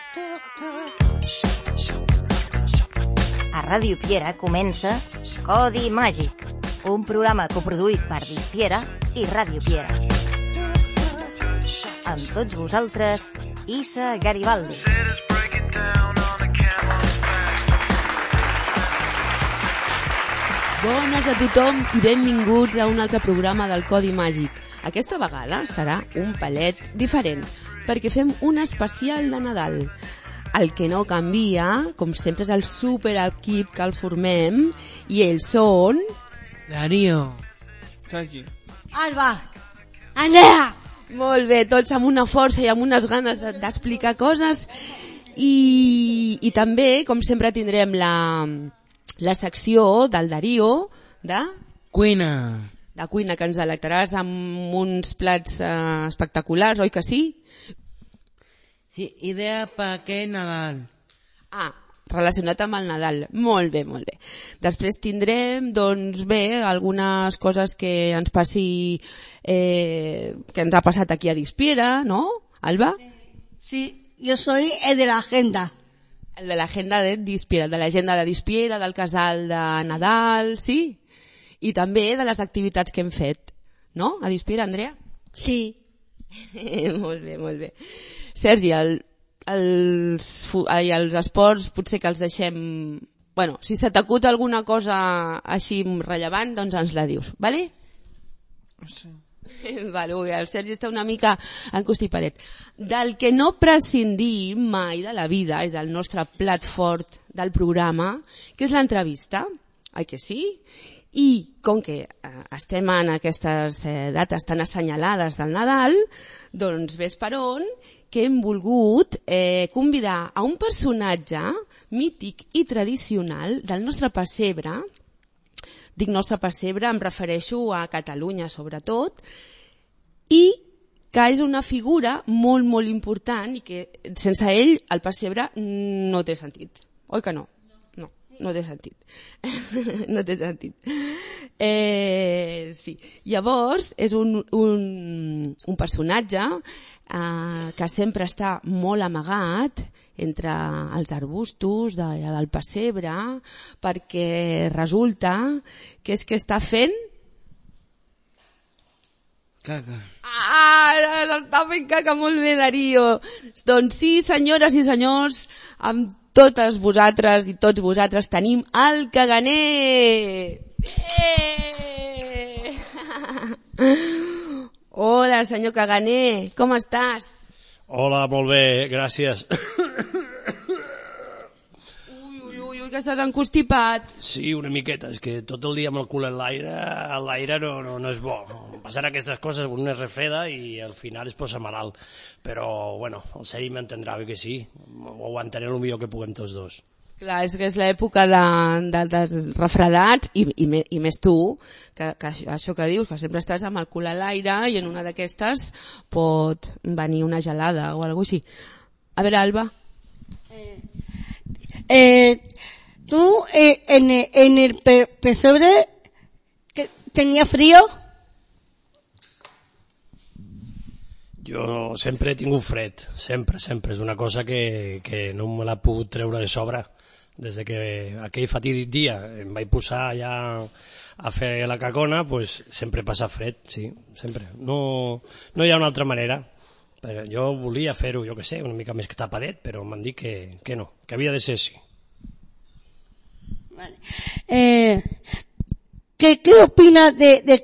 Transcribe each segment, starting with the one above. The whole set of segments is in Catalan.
A Ràdio Piera comença Codi Màgic, un programa coproduït per Dispiera i Ràdio Piera. Amb tots vosaltres, Issa Garibaldi. Bones a tothom i benvinguts a un altre programa del Codi Màgic. Aquesta vegada serà un palet diferent, perquè fem un especial de Nadal. El que no canvia, com sempre, és el superequip que el formem, i ells són... Darío, Sergi, Alba, Andrea. Molt bé, tots amb una força i amb unes ganes d'explicar coses. I també, com sempre, tindrem la secció del Darío de cuina, que ens delectaràs amb uns plats espectaculars, oi que sí? sí, idea per aquest Nadal. Relacionat amb el Nadal. Molt bé, molt bé. Després tindrem, doncs bé, algunes coses que ens passi, que ens ha passat aquí a Dispiera, ¿no, Alba? Sí, yo soy el de la agenda. El de l'agenda de Dispiera, de l'agenda de Dispiera, del casal de Nadal, sí? I també de les activitats que hem fet, no? A Dispiera, Andrea? Sí. Molt bé, molt bé. Sergi, els esports potser que els deixem... Bueno, si se t'acuta alguna cosa així rellevant, doncs ens la dius, vale? Sí. Vale, el Sergi està una mica encostipadet. Del que no prescindim mai de la vida és el nostre plat fort del programa, que és l'entrevista, oi que sí? I com que estem en aquestes dates tan assenyalades del Nadal, doncs ves per on que hem volgut convidar a un personatge mític i tradicional del nostre pessebre. Dic nostre pessebre, em refereixo a Catalunya sobretot, i que és una figura molt, molt important i que sense ell el pessebre no té sentit. Oi que no? No té sentit. No té sentit. Sí. Llavors, és un personatge que sempre està molt amagat entre els arbustos del pessebre, perquè resulta que és que està fent... Caca. Està fent caca, molt bé, Darío. Doncs sí, senyores i senyors, amb totes vosaltres i tots vosaltres tenim el caganer. Hola, senyor Caganer, com estàs? Hola, molt bé, gràcies. Ui, que estàs encostipat. Sí, una miqueta, és que tot el dia amb el cul en l'aire no és bo. Passen aquestes coses, un es refreda i al final es posa malalt. Però, bueno, el Sergi m'entendrà, que sí, ho aguantaré el millor que puguem tots dos. Clar, és que és l'època dels refredats i més tu, que això que dius, que sempre estàs amb el cul a l'aire i en una d'aquestes pot venir una gelada o alguna cosa així. A veure, Alba. ¿Tú en el pesebre tenía frío? Jo sempre he tingut fred, sempre. És una cosa que no me l'ha pogut treure de sobre. Des que aquell fatídic dia em vaig posar ja a fer la cacona, pues sempre passa fred, sí, sempre. No hi ha una altra manera. Però jo volia fer-ho, jo que sé, una mica més tapadet, però m'han dit que no, que havia de ser així. Vale. ¿Qué opinas de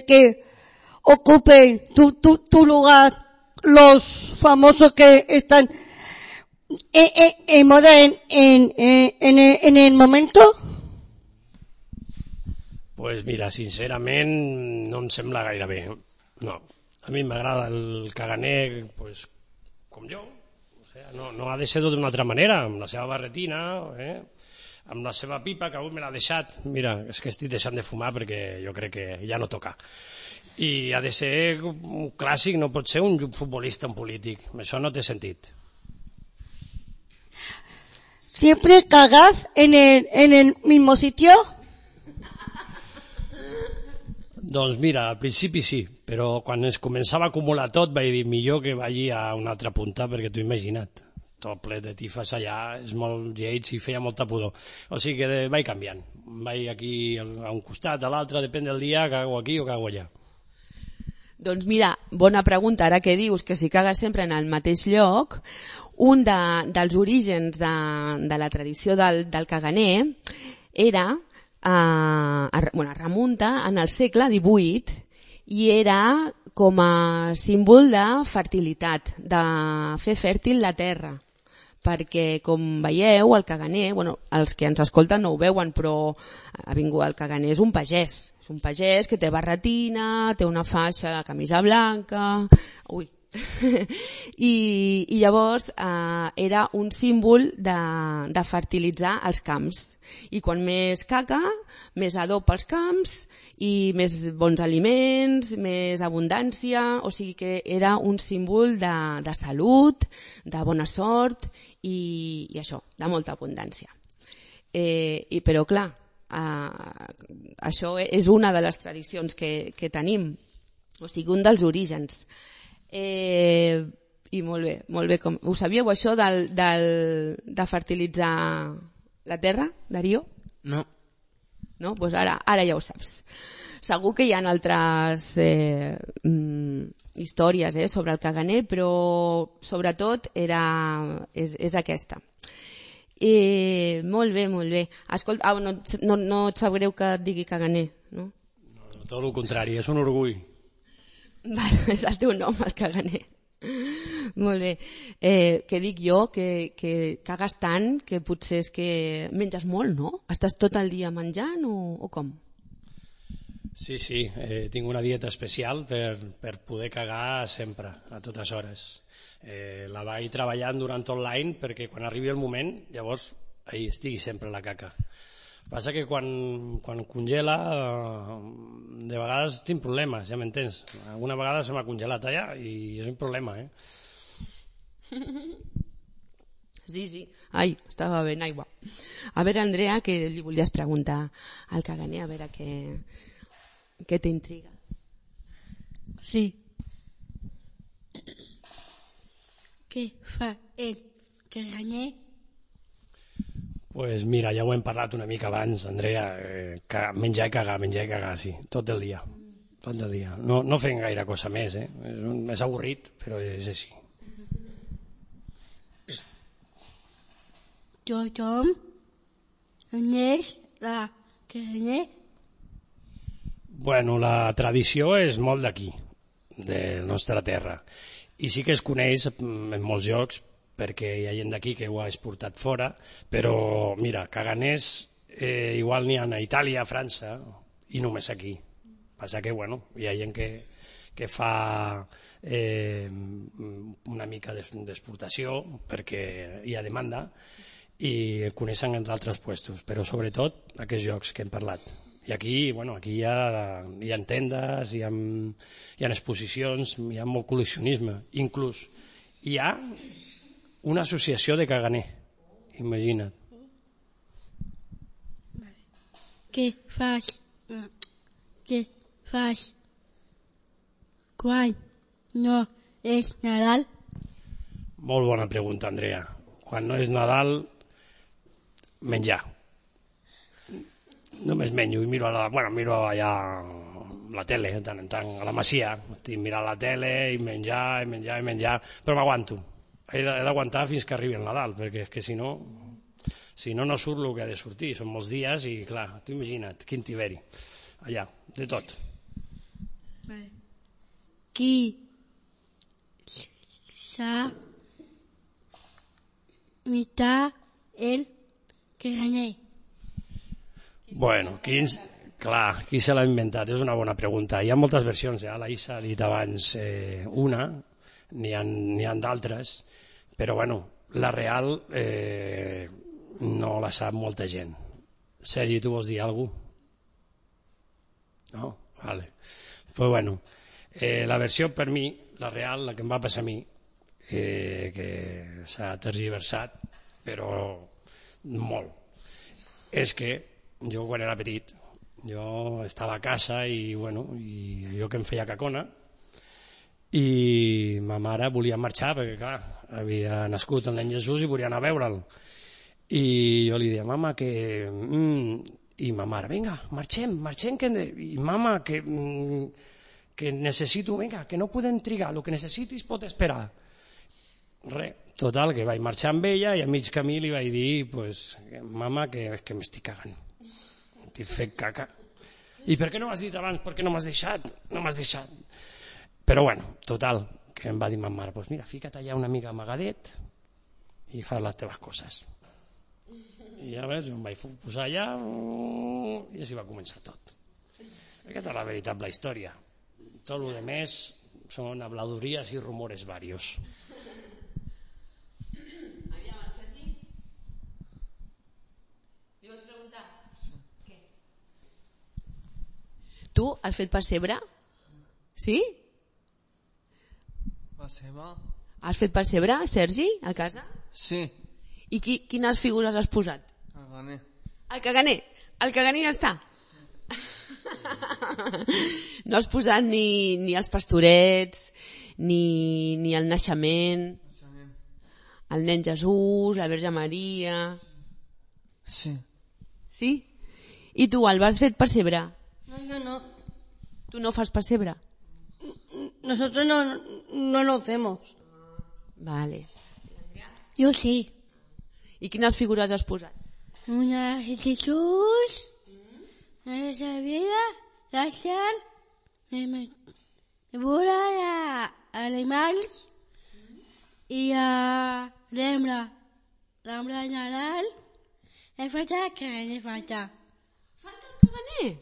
que ocupen tu lugar los famosos que están en moda en el momento? Pues mira, sincerament no em sembla gaire bé. No, a mi m'agrada el caganer pues, com jo. O sea, no ha de ser d'una altra manera, amb la seva barretina, amb la seva pipa, que avui me l'ha deixat. Mira, és que estic deixant de fumar perquè jo crec que ja no toca. I ha de ser un clàssic, no pot ser un futbolista, un polític. Això no té sentit. ¿Siempre cagas en el mismo sitio? Doncs mira, al principi sí, però quan es començava a acumular tot vaig dir millor que vagi a una altra punta, perquè t'ho imagina't, tot ple de tifes allà, és molt lleig i feia molta pudor. O sigui que vaig canviant, vaig aquí a un costat, a l'altre, depèn del dia, cago aquí o cago allà. Doncs mira, bona pregunta, ara que dius que si cagues sempre en el mateix lloc, un dels orígens de la tradició del caganer era, remunta en el segle XVIII i era com a símbol de fertilitat, de fer fèrtil la terra. Perquè, com veieu, el caganer, els que ens escolten no ho veuen, però el caganer és un pagès. És un pagès que té barretina, té una faixa, la camisa blanca... Ui! I llavors era un símbol de fertilitzar els camps. I quan més caca, més adob als camps i més bons aliments, més abundància. O sigui que era un símbol de salut, de bona sort i això, de molta abundància. Però clar, això és una de les tradicions que tenim, o sigui, un dels orígens. I molt bé. Ho sabíeu això de fertilitzar la terra, Darío? No. No? Doncs ara ja ho saps. Segur que hi ha altres històries sobre el caganer, però sobretot és aquesta. Molt bé. Escolta, no et sap greu que et digui caganer, no? No, tot el contrari, és un orgull. Vale, és el teu nom, el caganer. Molt bé. Què dic jo? Que cagues tant que potser és que menges molt, no? Estàs tot el dia menjant o com? Sí, tinc una dieta especial per poder cagar sempre, a totes hores. La vaig treballant durant tot l'any perquè quan arribi el moment, llavors ahí estigui sempre la caca. Passa que quan congela, de vegades tinc problemes, ja m'entens. Alguna vegada se m'ha congelat allà i és un problema, Sí. Ai, estava ben aigua. A veure, Andrea, que li volies preguntar al caganer, a veure què t'intriga. Sí. Què fa el caganer? Pues mira, ja ho hem parlat una mica abans, Andrea, menjar i cagar, sí, tot el dia. No fem gaire cosa més, és avorrit, però és així. Tothom coneix la caganer? Bueno, la tradició és molt d'aquí, de la nostra terra, i sí que es coneix en molts llocs, perquè hi ha gent d'aquí que ho ha exportat fora, però mira, caganers igual n'hi ha a Itàlia, a França i només aquí. Passa que hi ha gent que fa una mica d'exportació perquè hi ha demanda i coneixen d'altres puestos, però sobretot aquests llocs que hem parlat. I aquí hi ha tendes, hi ha exposicions, hi ha molt col·leccionisme, inclús hi ha una associació de caganer, imagina't. Què fas quan no és Nadal? Molt bona pregunta, Andrea. Quan no és Nadal, menjar. Només menjo i miro allà la tele, de tant en tant, a la masia. Estic mirant la tele i menjar, però m'aguanto. He d'aguantar fins que arribi el Nadal, perquè és que si no surt el que ha de sortir. Són molts dies i, clar, t'ho imagina't, quin tiberi. Allà, de tot. Qui s'ha imitat el caganer? Bueno, qui se l'ha inventat? És una bona pregunta. Hi ha moltes versions, la Isa ha dit abans una, n'hi ha d'altres, però la real no la sap molta gent. Sergi, tu vols dir alguna cosa? No? Vale. Pues la versió per mi, la real, la que em va passar a mi, que s'ha tergiversat, però molt, és que jo quan era petit Jo estava a casa i, bueno, i jo que em feia cacona, i ma mare volia marxar perquè, clar, havia nascut el nen Jesús i volia anar a veure'l. I jo li deia, mama, que... I ma mare, vinga, marxem, i mama, que necessito, vinga, que no podem trigar, el que necessitis pot esperar. Total, que vaig marxar amb ella i a mig camí li vaig dir, pues, mama, que m'estic cagant. T'he fet caca. I per què no m'has dit abans? Per què no m'has deixat? No m'has deixat. Però bueno, total, que em va dir ma mare, pues mira, fica't allà una mica amagadet i fas les teves coses. I ja veus, em vaig posar allà i així va començar tot. Aquesta és la veritable història. Tot el que més són habladurías i rumores varios. Aviam, el Sergi? Li vols preguntar? Sí. Què? Tu has fet pessebre? Sí? Pessebre? Has fet pessebre, Sergi, a casa? Sí. I quines figures has posat? El ganer. El caganer. El caganer ja està. No has posat ni els pastorets, ni el naixement, el nen Jesús, la Verge Maria... Sí. Sí? I tu, el has fet pessebre? No, yo no. Tu no fas pessebre? Nosotros no lo hacemos. Vale. Yo sí. I quines figures has posat? Una de Jesús, una de vida, la sal, Buda, animals i l'hembra de Nadal. He falta que he falta. Falta el caganer?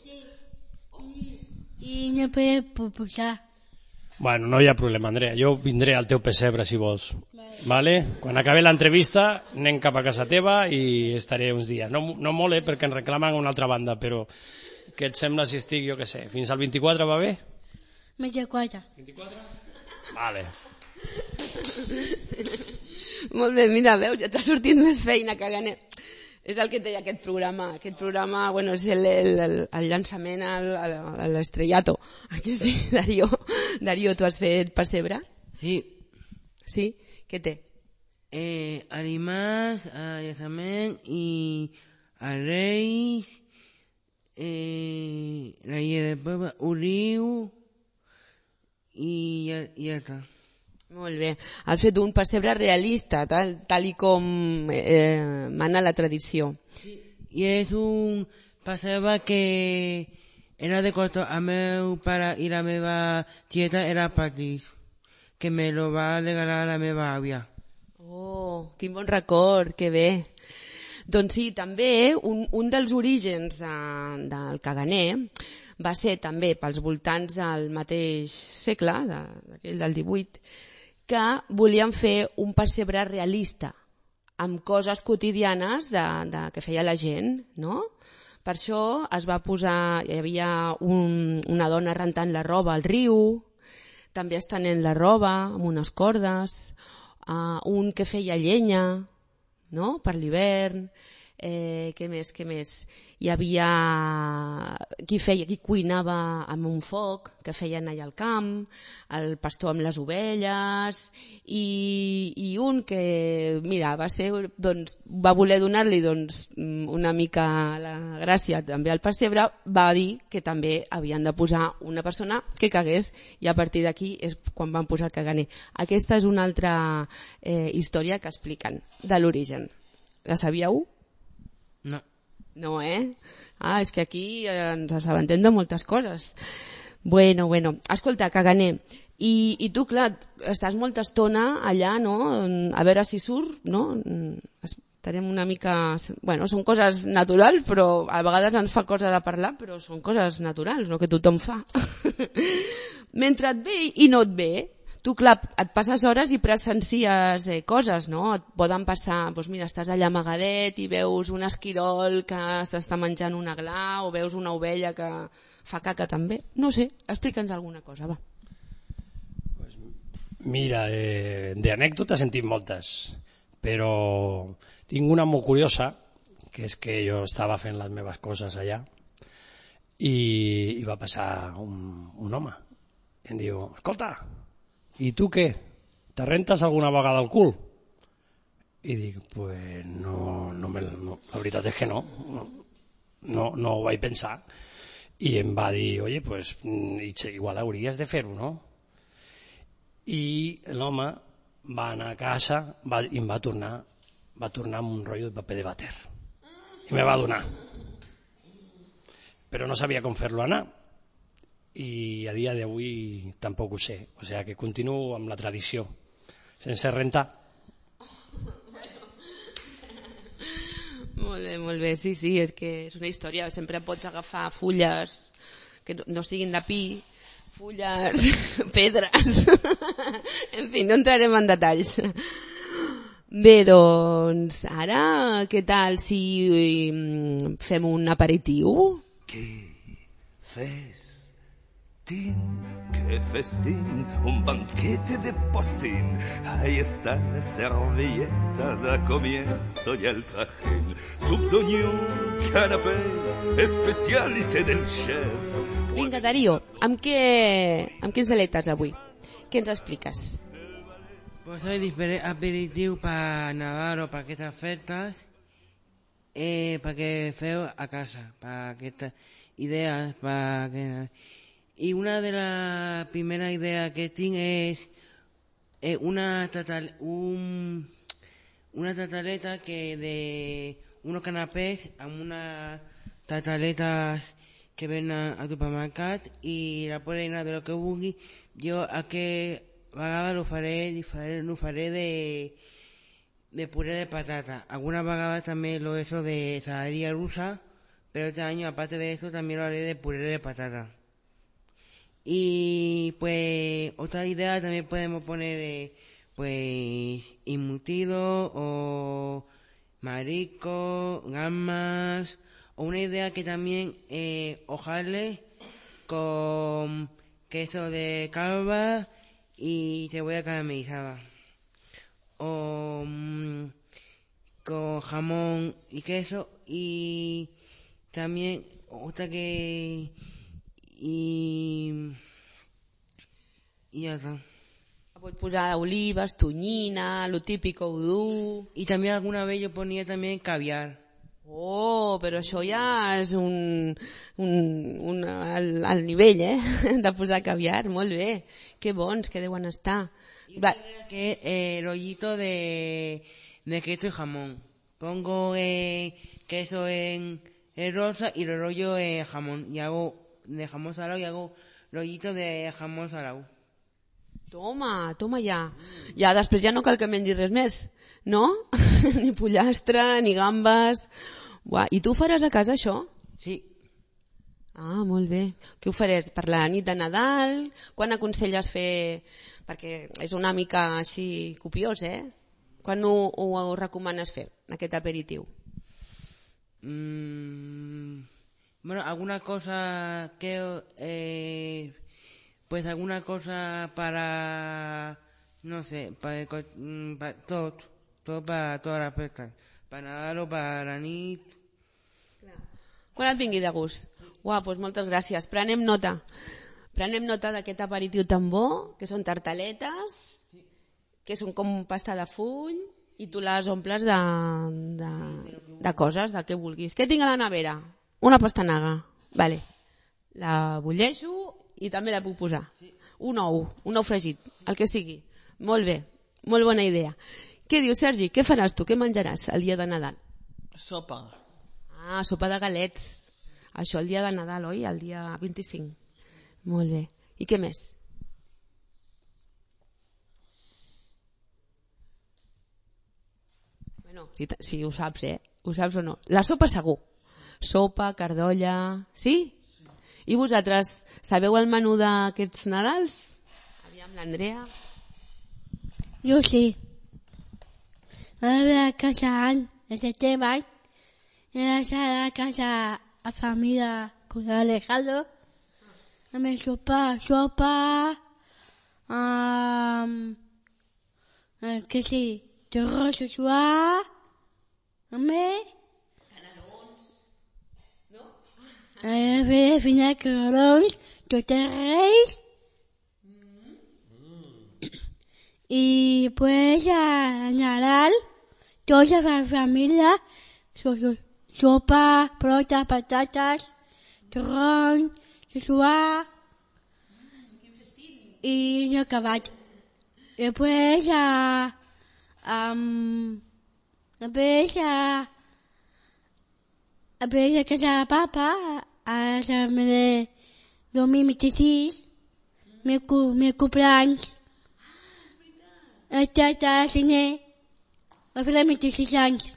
I no puc posar. Bueno, no hi ha problema, Andrea. Jo vindré al teu pessebre, si vols. Vale? Quan acabi l'entrevista anem cap a casa teva i estaré uns dies. No molt, perquè ens reclamen una altra banda, però què et sembla si estic, jo què sé, fins al 24 va bé? 24. 24? Vale. Molt bé, mira, veus, ja t'ha sortit més feina, caganer. És el que té aquest programa. Aquest programa, bueno, és el llançament a l'estrellato. Aquí sí, Darío. Darío, tu has fet pessebre? Sí. Sí? Què té? Animals, llançament i els Reis, la llei de poble, Oliu i ja està. Molt bé. Has fet un pessebre realista, tal i com mana la tradició. Sí. I és un pessebre que era de costa. El meu pare i la meva tieta eren petits, que me lo va regalar la meva àvia. Oh, quin bon record, que bé. Doncs sí, també un dels orígens del caganer va ser també pels voltants del mateix segle, d'aquell del 18, que volien fer un pessebre realista, amb coses quotidianes que feia la gent, no? Per això es va posar, hi havia una dona rentant la roba al riu, també estenent la roba amb unes cordes, un que feia llenya, no?, per l'hivern. Què més? Hi havia qui cuinava amb un foc que feien allà al camp, el pastor amb les ovelles, i un que, mira, va voler donar-li una mica la gràcia també al pessebre, va dir que també havien de posar una persona que cagués, i a partir d'aquí és quan van posar el caganer. Aquesta és una altra història que expliquen de l'origen. La sabíeu? No. No, és que aquí ens assabentem de moltes coses. Bueno, escolta, caganer, i tu, clar, estàs molta estona allà, no?, a veure si surt, no? Estarem una mica... Bueno, són coses naturals, però a vegades ens fa cosa de parlar, però són coses naturals, no?, que tothom fa. Mentre et ve i no et ve, tu, clar, et passes hores i presencies coses, no? Et poden passar, doncs mira, estàs allà amagadet i veus un esquirol que s'està menjant una gla, o veus una ovella que fa caca també. No sé, explica'ns alguna cosa, va. Pues mira, d'anècdotes en tinc moltes, però tinc una molt curiosa, que és que jo estava fent les meves coses allà, i va passar un home i em diu, escolta, i tu què? Te rentes alguna vegada el cul? I dic, pues no, la veritat és que no ho vaig pensar. I em va dir, oye, pues igual hauries de fer-ho, no? I l'home va anar a casa i em va tornar amb un rotllo de paper de vàter i me va donar, però no sabia com fer-lo anar i a dia d'avui tampoc ho sé, o sigui que continuo amb la tradició sense rentar. Molt bé, sí, és que és una història, sempre pots agafar fulles que no siguin de pi, fulles, pedres, en fi, no entrarem en detalls. Bé, doncs, ara, què tal si fem un aperitiu? Qué festín, un banquete de postín. Ahí está la servilleta, da comienzo ya el trajín. Subdonió, canapé, especialité del chef. Vinga, Darío, amb quins aletes avui? Què ens expliques? Pues hay diferentes aperitivos para Nadal o para estas festas, para que feo a casa, para que estas ideas, para que... Y una de las primeras ideas que tengo es una tataleta que de unos canapés a unas tataletas que ven a supermercat y la puedes llenar de lo que vulgui. Jo aquest vegada lo faré de puré de patata. Algunas vegades también lo he hecho de saladería rusa, pero este año aparte de eso también lo haré de puré de patata. Y pues otra idea también podemos poner pues embutido o marisco, gambas, o una idea que también hojaldre con queso de calva y cebolla caramelizada, o con jamón y queso, y también otra que y ya está. Pots posar olives, tonyina, lo típico udú... Y también alguna vez yo ponía también caviar. Oh, però això ja és al nivell, de posar caviar, molt bé. Que bons que deuen estar. Y que rollito de queso y jamón. Pongo queso en rosa y lo rollo en jamón. Y hago de jamón salado y hago rollito de jamón salado. Toma ja. Ja, després ja no cal que mengis res més, no? Ni pollastre, ni gambes... Uah, i tu ho faràs a casa, això? Sí. Ah, molt bé. Què ho faràs? Per la nit de Nadal? Quan aconselles fer... Perquè és una mica així copiós, Quan ho recomanes fer, aquest aperitiu? Bueno, alguna cosa que... pues alguna cosa para... no sé, para todo para todas las festas. Para Nadal o para la nit... Quan et vingui de gust. Uau, doncs moltes gràcies. Prenem nota. Prenem nota d'aquest aperitiu tan bo, que són tartaletes, que són com pasta de full, i tu les omples de coses, del que vulguis. Què tinc a la nevera? Una pastanaga. Vale. La bulleixo i també la puc posar. Un ou fregit, el que sigui. Molt bé, molt bona idea. Què dius, Sergi? Què faràs tu? Què menjaràs el dia de Nadal? Sopa. Ah, sopa de galets. Això el dia de Nadal, oi? El dia 25. Molt bé. I què més? Bueno, si ho saps, Ho saps o no? La sopa segur. Sopa, cardolla... Sí? I vosaltres sabeu el menú d'aquests Nadals? Aviam, l'Andrea. Jo sí. La meva casa en setembre era la casa a familia con Alejandro. Me sopa, que sí, de rosa suave, canelons, no? Fer fina carons, tots els reis. I pues a Nadal, tota la família, sopa, fruita, patates, torrons, suar i no acabat. Després a casa de papa, a la de 2026, me cumpleaños. El 30 de gener va fer 26 anys.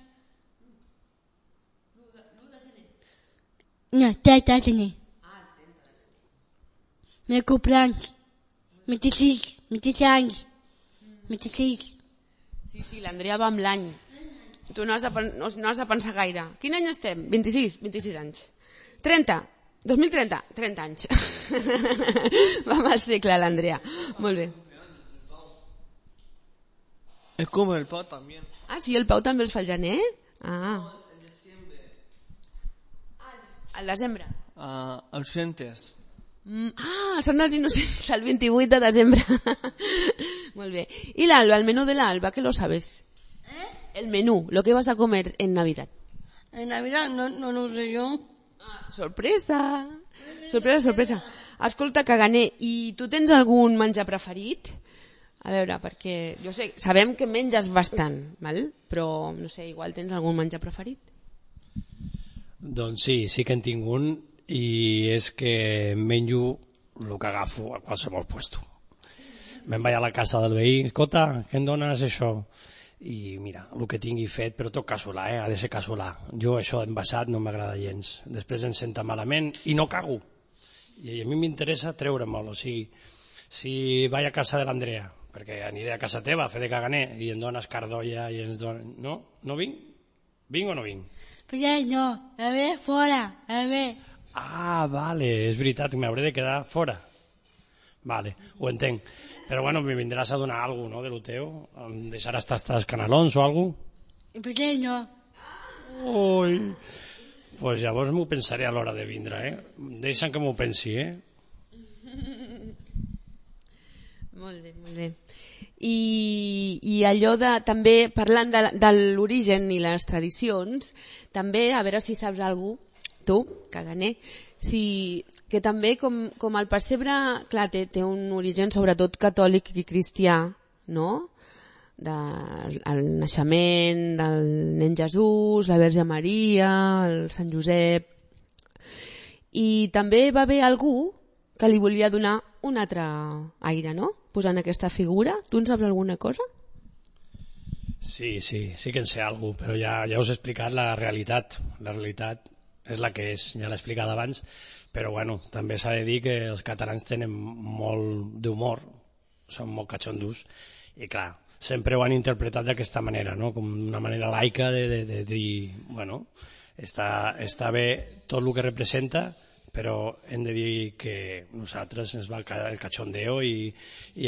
No, 30 de gener. Me cumpleaños. 26 anys. 26. Sí, l'Andrea va amb l'any. Tu no has de pensar gaire. Quin any estem? 26 anys. 30. 2030? 30 anys. Va amb el segle, l'Andrea. Molt bé. Es como el Pau también. Ah, sí, el Pau també els fa al gener? Ah. El diciembre. Al desembre. Ausentes. El Sant dels Innocents, el 28 de desembre. Molt bé. I l'Alba, el menú de l'Alba, que lo sabes? El menú, lo que vas a comer en Navidad. En Navidad no lo sé yo. Sorpresa. Sorpresa. Escolta, Caganer, i tu tens algun menjar preferit? A veure, perquè jo sé, sabem que menges bastant, val? Però no sé, igual tens algun menjar preferit? Doncs sí que en tinc un, i és que menjo el que agafo a qualsevol puesto. Me'n vaig a la casa del veí, escolta, què em dones això? I mira, el que tingui fet, però tot casolà, ha de ser casolà. Jo això envasat no m'agrada gens. Després em senta malament i no cago. I a mi m'interessa treure-me'l, o sigui, si vaig a casa de l'Andrea, perquè aniré a casa teva a fer de caganer i em dones cardolla i ens dones... No? No vinc? Vinc o no vinc? Però no, a veure, fora, a veure. Ah, vale, és veritat, m'hauré de quedar fora. Vale, ho entenc. Però bueno, me vindràs a donar alguna cosa, no?, de lo teu? Em deixaràs tastar els canelons o alguna cosa? Però no. Ui, pues llavors m'ho pensaré a l'hora de vindre, Deixa'm que m'ho pensi, Molt bé. I allò de, també, parlant de l'origen i les tradicions, també, a veure si saps algú, tu, Caganer, que també com el pessebre, clar, té un origen sobretot catòlic i cristià, no?, del naixement del nen Jesús, la Verge Maria, el Sant Josep, i també va haver algú que li volia donar un altre aire, no?, posant aquesta figura. Tu en saps alguna cosa? Sí que en sé alguna cosa, però ja us he explicat la realitat. La realitat és la que és, ja l'he explicat abans, però bueno, també s'ha de dir que els catalans tenen molt d'humor, són molt catxondos, i clar, sempre ho han interpretat d'aquesta manera, no?, com una manera laica de dir, bueno, està bé tot el que representa, però hem de dir que nosaltres ens va el cachondeo i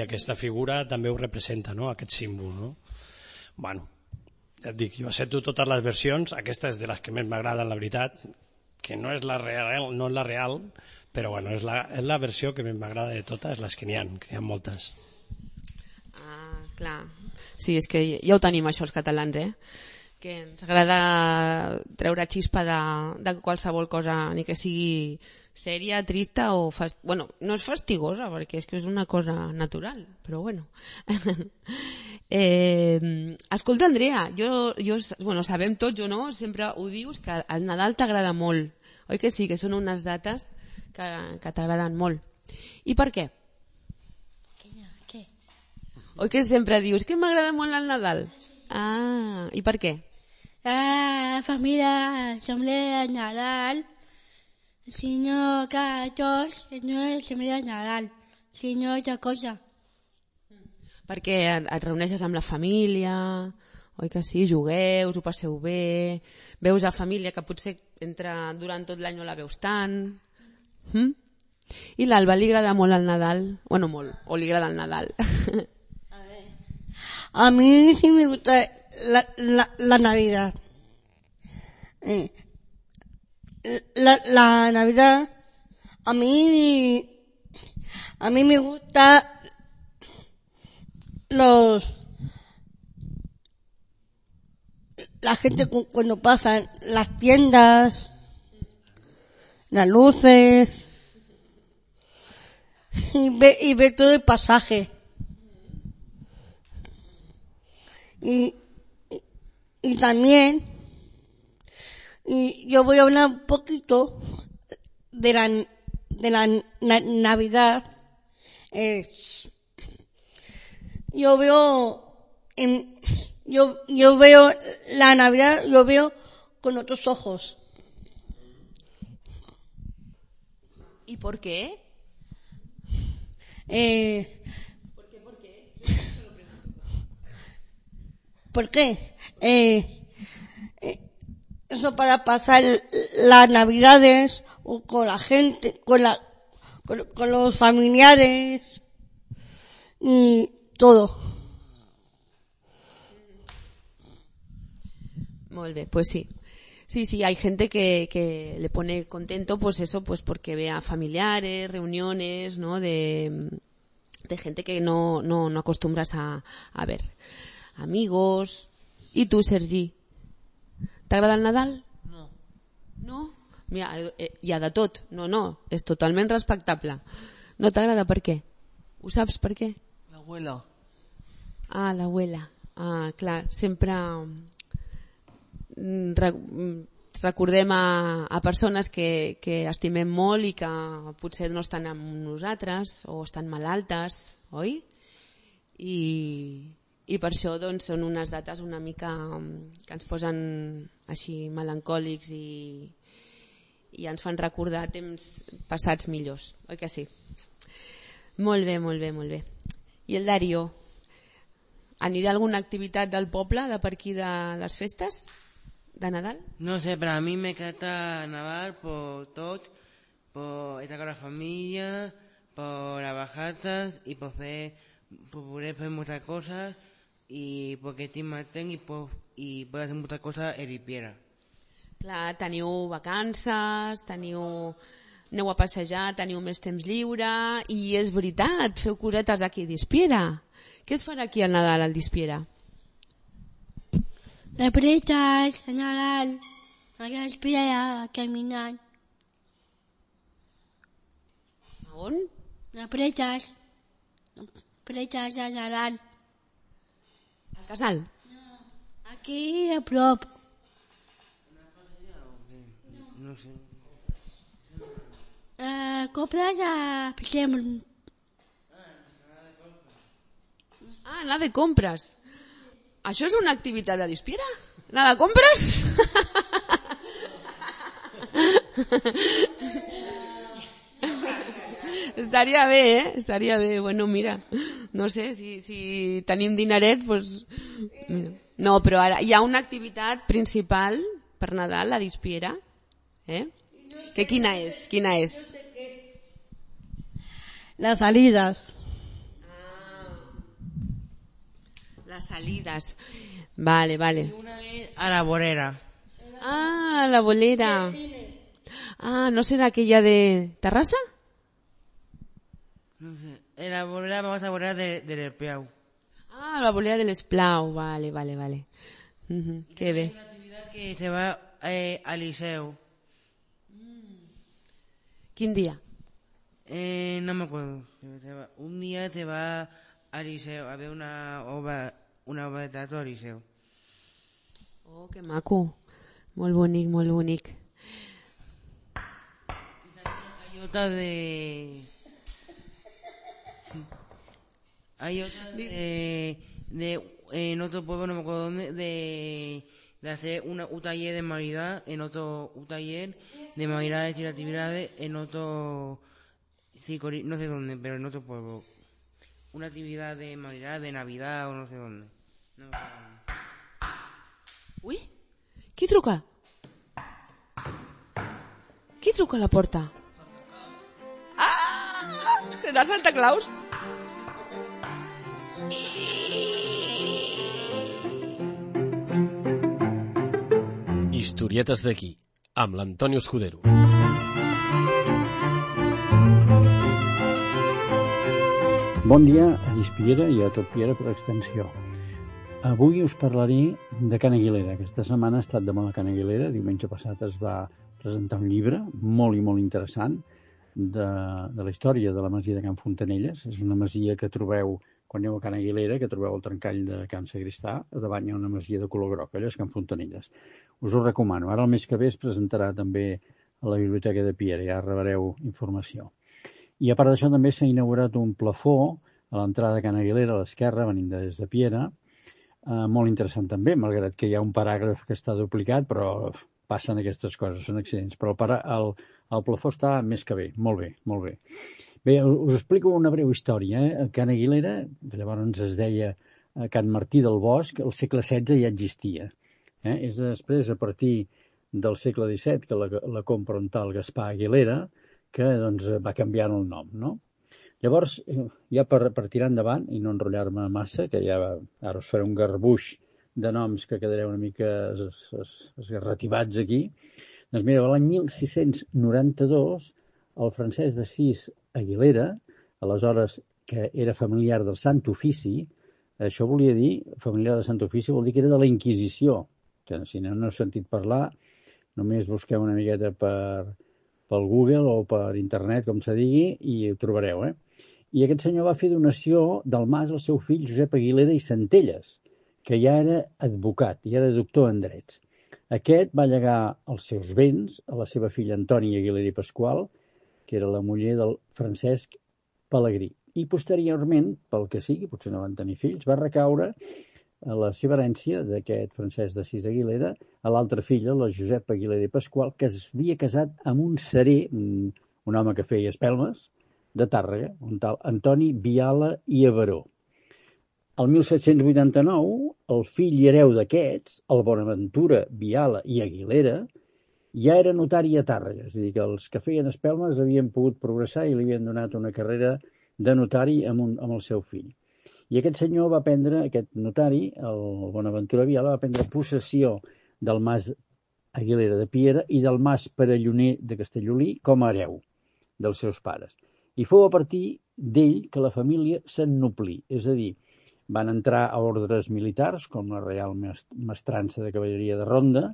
aquesta figura també ho representa, no?, aquest símbol, no? Bueno, ja et dic, jo accepto totes les versions, aquesta és de les que més m'agrada, la veritat, que no és la real, però bueno, és la versió que més m'agrada de totes, les que n'hi ha moltes. Ah, clar. Sí, és que ja ho tenim això els catalans, que ens agrada treure xispa de qualsevol cosa, ni que sigui sèria, trista o... Bueno, no és fastigosa, perquè és que és una cosa natural, però bueno. Escolta, Andrea, bueno, sabem tot, jo no? Sempre ho dius, que el Nadal t'agrada molt. Oi que sí, que són unes dates que t'agraden molt. I per què? Què? Oi que sempre dius que m'agrada molt el Nadal? Ah, i per què? La família assemblea de Nadal, sinó que tots no assemblea de Nadal, sinó altra cosa. Perquè et reuneixes amb la família, oi que sí, jugueu, us ho passeu bé, veus a família que potser durant tot l'any no la veus tant. I l'Alba, li agrada molt el Nadal? Bueno, molt, o li agrada el Nadal? A mí sí me gusta la Navidad. la Navidad, a mí me gusta la gente cuando pasan las tiendas, las luces, y ve todo el pasaje. Y también, yo voy a hablar un poquito de la Navidad. Yo veo la Navidad, yo veo con otros ojos. ¿Y por qué? ¿Por qué? Eso para pasar las Navidades con la gente, con los familiares y todo. Molt bé, pues sí. Sí, hay gente que le pone contento, pues eso, pues porque vea familiares, reuniones, ¿no? De gente que no acostumbras a ver. Amigos. I tu, Sergi? T'agrada el Nadal? No. No? Mira, hi ha de tot. No, és totalment respectable. No t'agrada per què? Ho saps per què? L'abuela. Ah, l'abuela. Ah, clar, sempre recordem a persones que estimem molt i que potser no estan amb nosaltres o estan malaltes, oi? I per això doncs, són unes dates una mica que ens posen així melancòlics i ens fan recordar temps passats millors, oi que sí? Molt bé. I el Dario? Anirà a alguna activitat del poble de per aquí de les festes de Nadal? No sé, para mí me encanta Nadal por todo, por estar con la familia, por las bajatas y por poder hacer muchas cosas y porque estoy más y puedo hacer muchas cosas en Ispiera. Clar, teniu vacances, aneu a passejar, teniu més temps lliure i és veritat, feu cosetes aquí a Dispiera. Què es farà aquí al Nadal al Dispiera? Apretas, a Nadal, a Dispiera, caminant. A on? Apretas a Nadal. Al casal? Aquí a prop. No sé. Compres a... Ah, anar de compres. Això és una activitat de Dispiera? Anar de compres? Estaria bé, eh? Estaria bé. Bueno, mira, no sé, si tenim dineret, doncs... Mira. No, però ara hi ha una activitat principal per Nadal a Dispiera, eh? Que quina és? Las salidas. Las salidas. Vale. Y una vez a la bolera. Ah, la bolera. Ah, ¿no será aquella de Terrassa? No sé. En la bolera vamos a bolera del Espiau. Ah, la bolera del Esplau. Vale. Qué bé. Hay una actividad que se va al liceo. Quin dia? No me acuerdo. Un día se va al liceo a ver una obra de teatro al liceo. Oh, que maco. Molt bonic. Y también hay otra de... Sí. Hay otra en otro pueblo, no me acuerdo dónde, de hacer un taller de Navidad, un taller de Navidades y actividades en otro... no sé dónde, pero en otro pueblo. Una actividad de Navidad o no sé dónde. No. Ui, qui truca? Qui truca a la porta? Ah, serà Santa Claus? Historietes d'aquí, amb l'Antoni Escudero. Bon dia a Dispiera i a tot Piera per extensió. Avui us parlaré de Can Aguilera. Aquesta setmana ha estat de moda Can Aguilera. Diumenge passat es va presentar un llibre molt i molt interessant de la història de la masia de Can Fontanelles. És una masia que trobeu, quan aneu a Can Aguilera, que trobeu el trencall de Can Sagristà, a davant hi ha una masia de color groc, allò és Can Fontanelles. Us ho recomano. Ara el mes que ve es presentarà també a la Biblioteca de Piera, ja rebreu informació. I a part d'això també s'ha inaugurat un plafó a l'entrada de Can Aguilera, a l'esquerra, venint des de Piera, molt interessant també, malgrat que hi ha un paràgraf que està duplicat, però passen aquestes coses, són accidents. Però el plafó està més que bé, molt bé, molt bé. Bé, us explico una breu història. Can Aguilera, que llavors es deia Can Martí del Bosc, al segle XVI ja existia. És després, a partir del segle XVII, que la compra un tal Gaspar Aguilera, que doncs, va canviant el nom, no? Llavors, ja per tirar endavant i no enrotllar-me massa, que ja ara us faré un garbuix de noms que quedareu una mica esgarrativats aquí, doncs mira, l'any 1692, el Francesc d'Assís Aguilera, aleshores que era familiar del Sant Ofici, això volia dir, familiar del Sant Ofici vol dir que era de la Inquisició, que si no heu sentit parlar, només busqueu una miqueta pel Google o per internet, com se digui, i ho trobareu, I aquest senyor va fer donació del mas al seu fill Josep Aguilera i Centelles, que ja era advocat, ja era doctor en drets. Aquest va llegar els seus béns a la seva filla Antònia Aguilera i Pasqual, que era la muller del Francesc Pelegrí. I posteriorment, pel que sigui, potser no van tenir fills, va recaure a la seva herència d'aquest Francesc d'Assís Aguilera a l'altra filla, la Josep Aguilera i Pasqual, que es havia casat amb un serer, un home que feia espelmes, de Tàrrega, un tal Antoni Viala i Averó. El 1789, el fill i hereu d'aquests, el Bonaventura Viala i Aguilera, ja era notari a Tàrrega, és a dir, que els que feien espelmes havien pogut progressar i li havien donat una carrera de notari amb el seu fill. I aquest senyor va prendre, aquest notari, el Bonaventura Viala, va prendre possessió del mas Aguilera de Piera i del mas Perelloner de Castellolí com a hereu dels seus pares. I fou a partir d'ell que la família s'ennoblí, és a dir, van entrar a ordres militars, com la Reial Mestrança de Cavalleria de Ronda,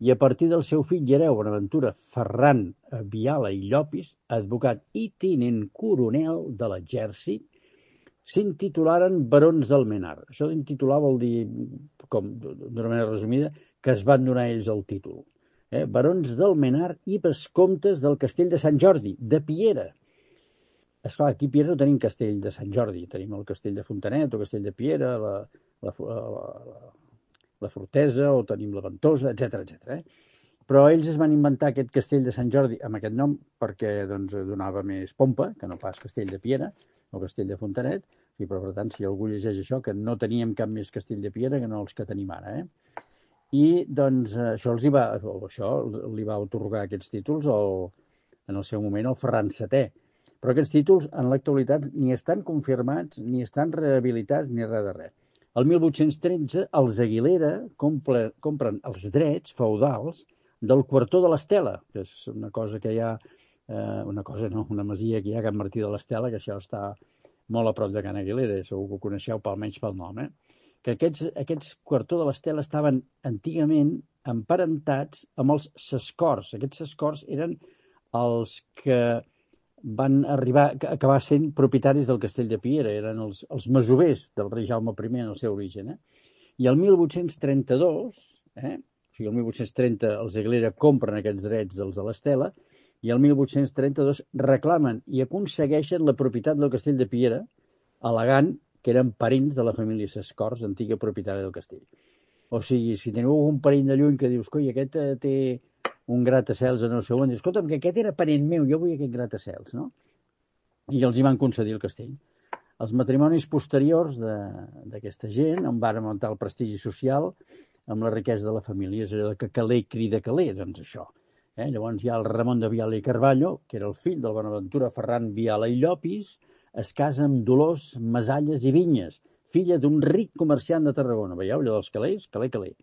i a partir del seu fill i hereu, Bonaventura Ferran Viala i Llopis, advocat i tinent coronel de l'exèrcit, s'intitularen barons d'Almenar. Això d'intitular vol dir, com d'una manera resumida, que es van donar ells el títol. Barons d'Almenar i vescomtes del castell de Sant Jordi, de Piera. Esclar, aquí a Piera no tenim castell de Sant Jordi, tenim el castell de Fontanet, o castell de Piera, la Fortesa, o tenim la Ventosa, etc. Però ells es van inventar aquest castell de Sant Jordi amb aquest nom perquè donava més pompa, que no pas castell de Piera o castell de Fontanet, i per tant, si algú llegeix això, que no teníem cap més castell de Piera que no els que tenim ara. I doncs això li va otorgar aquests títols en el seu moment el Ferran VII. Però aquests títols en l'actualitat ni estan confirmats, ni estan rehabilitats, ni res de res. El 1813 els Aguilera compren els drets feudals del quartó de l'Estela, que és una cosa que hi ha, una masia que hi ha a Can Martí de l'Estela, que això està molt a prop de Can Aguilera, segur que ho coneixeu almenys pel nom, que aquests quartó de l'Estela estaven antigament emparentats amb els Sescors. Aquests Sescors eren els que van acabar sent propietaris del castell de Piera, eren els masovers del rei Jaume I en el seu origen. I el 1832, o sigui, el 1830 els Aguilera compren aquests drets dels de l'Estela, i el 1832 reclamen i aconsegueixen la propietat del castell de Piera, al·legant que eren parents de la família Sescors, antiga propietària del castell. O sigui, si teniu algun parent de lluny que dius, coi, aquest té un gratacels en el seu on, dius, escolta'm, que aquest era parent meu, jo vull aquest gratacels, no? I els hi van concedir el castell. Els matrimonis posteriors d'aquesta gent en van augmentar el prestigi social amb la riquesa de la família, és allò que caler crida caler, doncs això. Llavors hi ha el Ramon de Viala i Carballo, que era el fill del Bonaventura Ferran Viala i Llopis, es casa amb Dolors Masalles i Vinyes, filla d'un ric comerciant de Tarragona. Veieu, allò dels calés? Caler.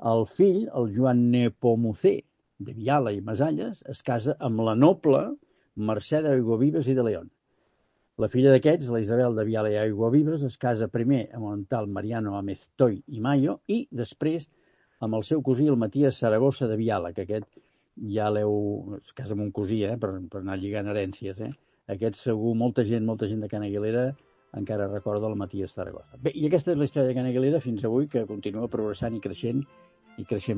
El fill, el Joan Nepomucé, de Viala i Masalles, es casa amb la noble Mercè d'Aiguavives i de León. La filla d'aquests, la Isabel de Viala i Aiguavives, es casa primer amb el tal Mariano Ameztoy i Mayo i després amb el seu cosí, el Matías Saragossa de Viala, que aquest ja es casa amb un cosí, per anar lligant herències. Aquest segur, molta gent de Can Aguilera encara recorda el Matías Saragossa. Bé, i aquesta és la història de Can Aguilera fins avui, que continua progressant i creixent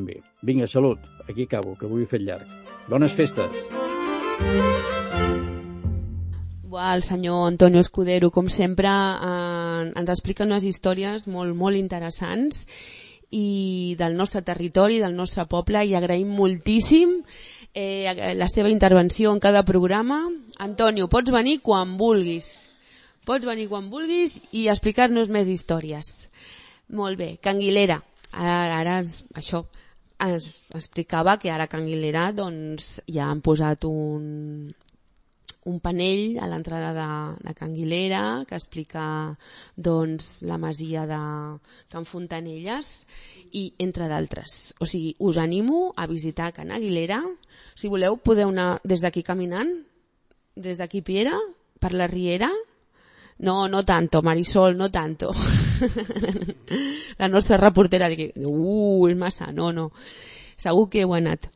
bé. Vinga, salut, aquí acabo, que avui he fet llarg. Bones festes! El senyor Antonio Escudero, com sempre, ens explica unes històries molt, molt interessants i del nostre territori, del nostre poble, i agraïm moltíssim la seva intervenció en cada programa. Antonio, pots venir quan vulguis. Pots venir quan vulguis i explicar-nos més històries. Molt bé, Can Aguilera. Ara això ens explicava que ara a Can Aguilera doncs, ja han posat un panell a l'entrada de Can Aguilera que explica doncs, la masia de Can Fontanelles i entre d'altres. O sigui, us animo a visitar Can Aguilera. Si voleu, podeu anar des d'aquí caminant, des d'aquí Piera, per la Riera. No tanto, Marisol, no tanto. La nostra reportera diu, és massa, no. Segur que heu anat.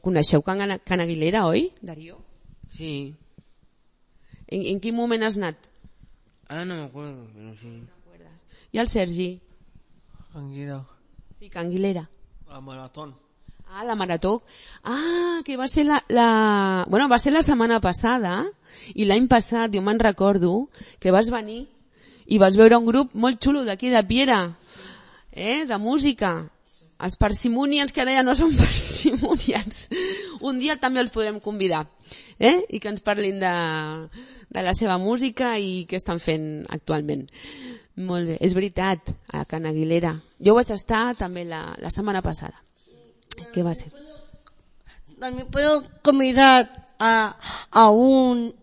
Coneixeu Can Aguilera, oi, Darío? Sí. ¿En quin moment has anat? Ahora no me acuerdo, pero sí. ¿Y el Sergi? Can Aguilera. Sí, Can Aguilera. La maratón. Ah, la marató. Ah, que va ser va ser la setmana passada i l'any passat, jo me'n recordo, que vas venir i vas veure un grup molt xulo d'aquí de Piera, de música. Els Parsimonians, que ara ja no són Parsimonians. Un dia també els podrem convidar, i que ens parlin de la seva música i què estan fent actualment. Molt bé, és veritat, a Can Aguilera. Jo vaig estar també la setmana passada. ¿Qué va a ser? También puedo convidar a alguno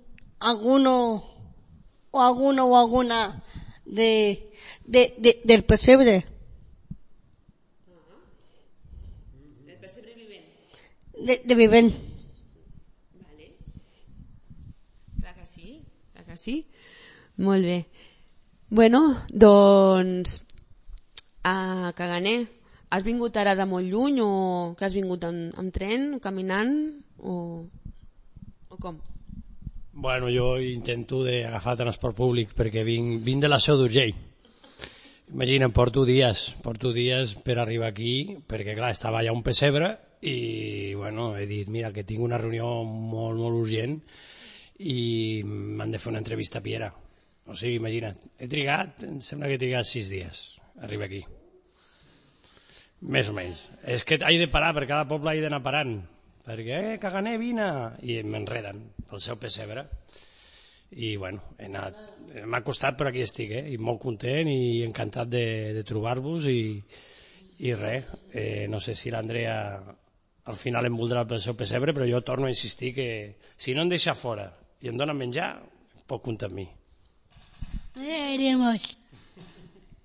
o alguna del pesebre. ¿Del pesebre Vivent? De Vivent. Vale. Clar que sí. Molt bé. Bueno, doncs a Caganer. Has vingut ara de molt lluny o que has vingut amb tren o caminant o com? Bueno, jo intento d'agafar transport públic perquè vinc de la Seu d'Urgell. Imagina't, porto dies per arribar aquí perquè clar, estava allà un pessebre i bueno, he dit, mira, que tinc una reunió molt, molt urgent i m'han de fer una entrevista a Piera. O sigui, imagina't, em sembla que he trigat 6 dies a arribar aquí. Més o menys. És que he de parar, per cada poble he d'anar parant. Perquè, Caganer, vine! I m'enreden pel seu pessebre. I, bueno, m'ha costat, però aquí estic, i molt content i encantat de trobar-vos i res. No sé si l'Andrea al final em voldrà pel seu pessebre, però jo torno a insistir que si no em deixa fora i em dona menjar, pot comptar amb mi. Iremos.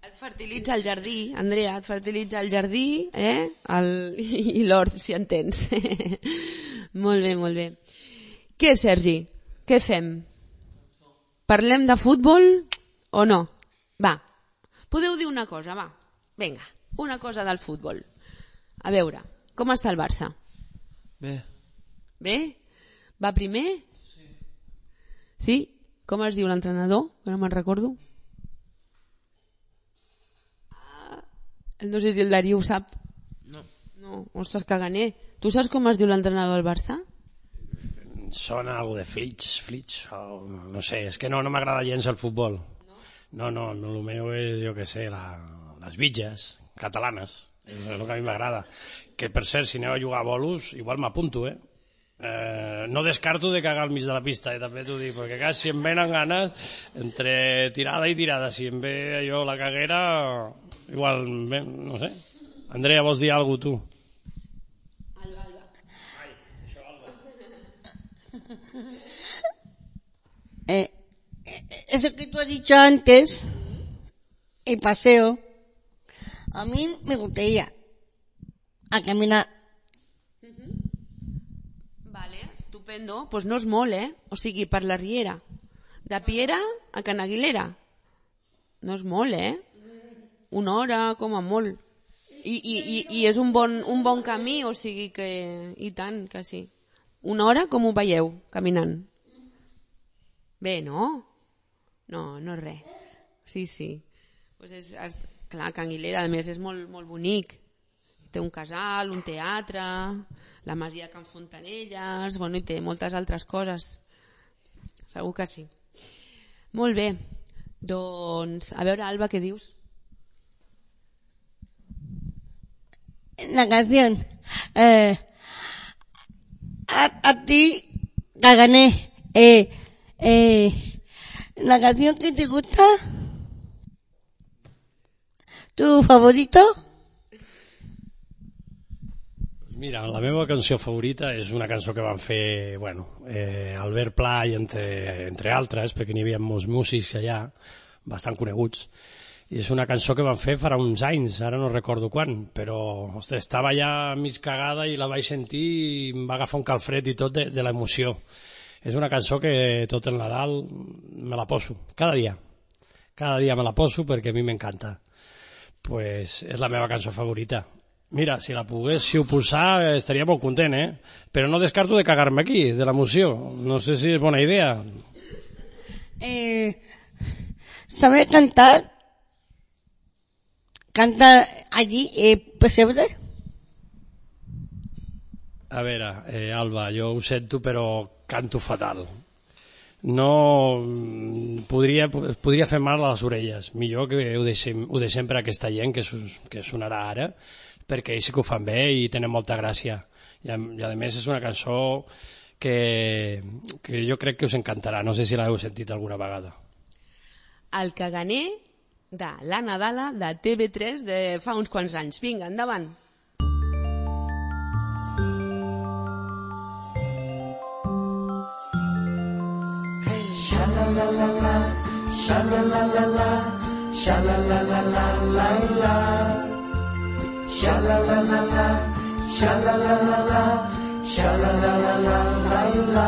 Et fertilitza el jardí, Andrea, et fertilitza el jardí i l'hort, si entens. Molt bé, molt bé. Què, Sergi? Què fem? Parlem de futbol o no? Va, podeu dir una cosa, va. Vinga, una cosa del futbol. A veure, com està el Barça? Bé. Bé? Va primer? Sí? Com es diu l'entrenador? Que no me'n recordo. No sé si el Darío ho sap. No. Ostres, Caganer. Tu saps com es diu l'entrenador del Barça? Sona algo de Flitch, no sé, és que no m'agrada gens el futbol. No, el meu és, jo què sé, les bitges catalanes, és el que a mi m'agrada. Que, per cert, si aneu a jugar a bolos, igual m'apunto, no descarto de cagar al mig de la pista, també t'ho dic, perquè clar, si em venen ganes, entre tirada i tirada, si em ve allò la caguera, igual, no sé. Andrea, vols dir alguna cosa, tu? Eso que tú has dicho antes, el paseo, a mí me gustaría a caminar. estupendo. Pues no és molt, O sigui, per la Riera. De Piera a Can Aguilera. No és molt, 1 hora, com a molt. I és un bon camí, o sigui que... I tant, que sí. 1 hora, com ho veieu, caminant? Bé, no? No és res. Sí. Pues clar, Can Aguilera, a més, és molt, molt bonic. Té un casal, un teatre, la masia Can Fontanelles, i té moltes altres coses. Segur que sí. Molt bé. Doncs, a veure, Alba, què dius? La canción. A ti, Cagané. La canción que te gusta. ¿Tu favorito? Mira, la meva cançó favorita és una cançó que van fer, Albert Pla i entre altres, perquè n'hi havia molts músics allà, bastant coneguts, i és una cançó que van fer farà uns anys, ara no recordo quan, però estava ja mig cagada i la vaig sentir i em va agafar un calfred i tot de l'emoció. És una cançó que tot el Nadal me la poso, cada dia me la poso perquè a mi m'encanta. Pues és la meva cançó favorita. Mira, si la poguéssiu posar estaria molt content, Però no descarto de cagar-me aquí, de l'emoció. No sé si és bona idea. ¿Sabes cantar? ¿Canta allí, Pessebre? A veure, Alba, jo ho sento, però canto fatal. No podria fer mal a les orelles. Millor que ho deixem per aquesta gent que sonarà ara, perquè ells sí que ho fan bé i tenen molta gràcia. I a més és una cançó que jo crec que us encantarà. No sé si l'heu sentit alguna vegada. El Caganer de la Nadala de TV3 de fa uns quants anys. Vinga, endavant. Sha-la-la-la-la, sha-la-la-la-la, sha-la-la-la-la-la-la. Sha-la-la-la-la, sha-la-la-la-la, sha-la-la-la-la-la-la.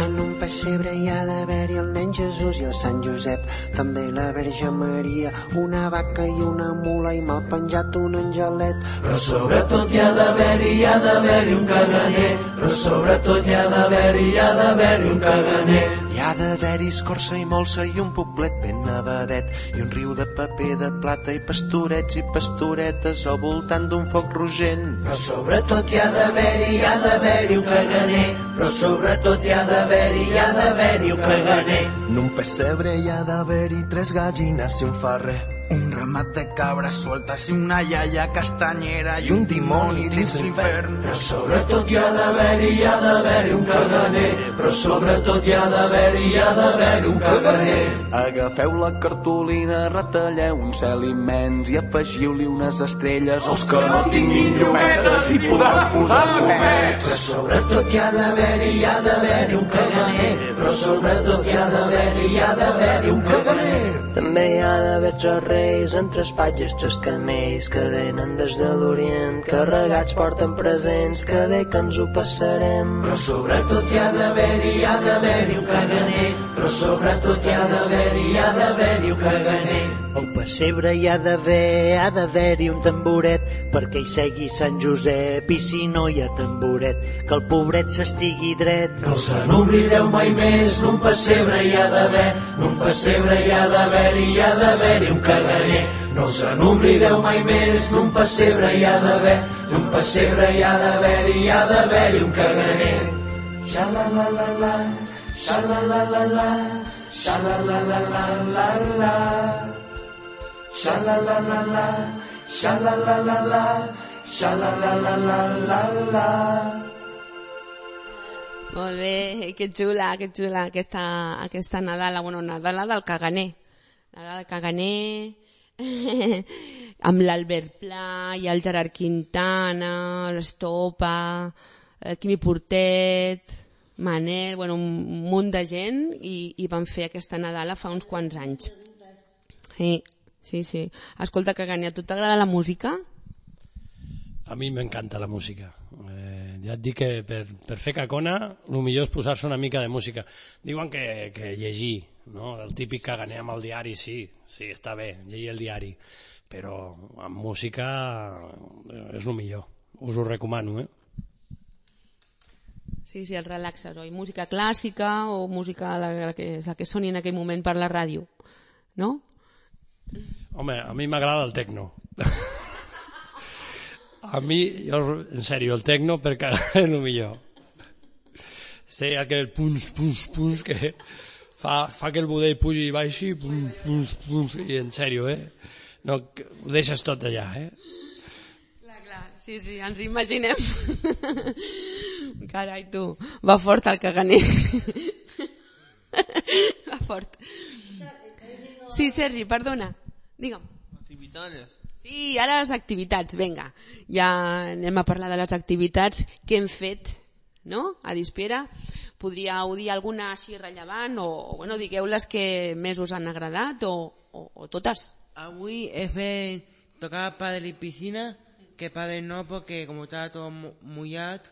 En un pessebre hi ha d'haver-hi el nen Jesús i el Sant Josep, també la Verge Maria, una vaca i una mula i m'ha penjat un angelet. Però sobretot hi ha d'haver-hi un caganer, però sobretot hi ha d'haver-hi un caganer. Hi ha d'haver-hi escorça i molsa i un poblet ben nevadet i un riu de paper de plata i pastorets i pastoretes al voltant d'un foc rogent. Però sobretot hi ha d'haver-hi un caganer, però sobretot hi ha d'haver-hi un caganer. En un pessebre hi ha d'haver-hi 3 gallines i un ferrer, un ramat de cabres sueltes i una iaia castanyera i un dimoni dins l'infern. Però sobretot hi ha d'haver-hi un caganer, però sobretot hi ha d'haver-hi un caganer. Agafeu la cartolina, retalleu un cel immens i afegiu-li unes estrelles als que no tinguin llumetes i podran posar plomets. Però sobretot hi ha d'haver-hi un caganer, però sobretot hi ha d'haver-hi un caganer. També hi ha d'haver 3 reis amb 3 patges, 3 camells que venen des de l'Orient, carregats porten presents, que bé que ens ho passarem. Però sobretot hi ha d'haver-hi un caganer, però sobretot hi ha d'haver-hi un caganer. Al pessebre hi ha d'haver-hi un tamboret perquè hi segui Sant Josep, i si no hi ha tamboret, que el pobret s'estigui dret. No se n'oblideu mai més, n'un pessebre hi ha d'haver-hi un caganer. No se n'oblideu mai més, n'un pessebre hi ha d'haver-hi un caganer. Sha-la-la-la-la, sha-la-la-la-la, sha-la-la-la-la-la-la. Sha-la-la-la-la, sha-la-la-la-la, sha-la-la-la-la-la-la. Molt bé, que xula aquesta Nadala, Nadala del Caganer. Nadala del Caganer, amb l'Albert Pla i el Gerard Quintana, l'Estopa, el Quimi Portet, Manel, un munt de gent, i van fer aquesta Nadala fa uns quants anys. Sí. Escolta, Caganer, a tu t'agrada la música? A mi m'encanta la música. ja et dic que per fer cacona el millor és posar-se una mica de música. Diuen que llegir, no? El típic caganer amb el diari, sí, està bé, llegir el diari, però amb música és el millor. Us ho recomano, Sí, el relaxes, oi? Música clàssica o música la que soni en aquell moment per la ràdio, no? Home, a mi m'agrada el tecno. A mi, en sèrio, el tecno per cagar és el millor. Sé aquell punts que fa que el budell pugi i baixi, punts, i en sèrio, no, ho deixes tot allà, Clar, sí, ens imaginem. Carai, tu, va fort el caganer. Va fort. Sí, Sergi, perdona, digue'm. Activitats. Sí, ara les activitats, vinga. Ja anem a parlar de les activitats que hem fet, no?, a Dispiera. Podríeu dir alguna així rellevant o bueno, digueu les que més us han agradat o totes. Avui he fet tocar pádel y piscina, que pádel no porque como estaba todo mojado,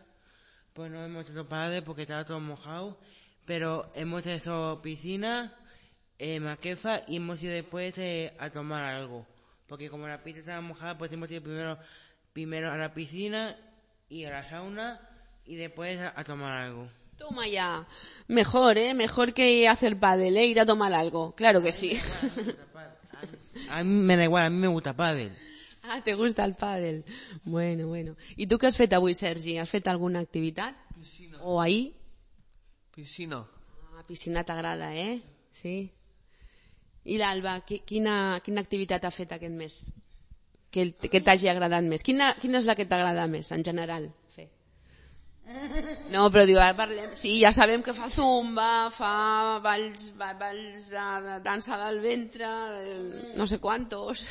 pues no hemos hecho pádel porque estaba todo mojado, pero hemos hecho piscina, maquefa y hemos ido después a tomar algo, porque como la pista estaba mojada, pues hemos ido primero a la piscina y a la sauna y después a tomar algo. Toma ya, mejor, mejor que hacer pádel, ir a tomar algo, claro que sí. A mí me da igual, a mí me gusta pádel. Ah, te gusta el pádel. Bueno. I tu què has fet avui, Sergi? Has fet alguna activitat? Piscina. O ahir? Piscina. Ah, piscina t'agrada, Sí. I l'Alba, quina activitat ha fet aquest mes? Que t'hagi agradat més? Quina és la que t'agrada més, en general, fer? No, però diu, ara parlem... Sí, ja sabem que fa zumba, fa balls de dansa del ventre, no sé quantos...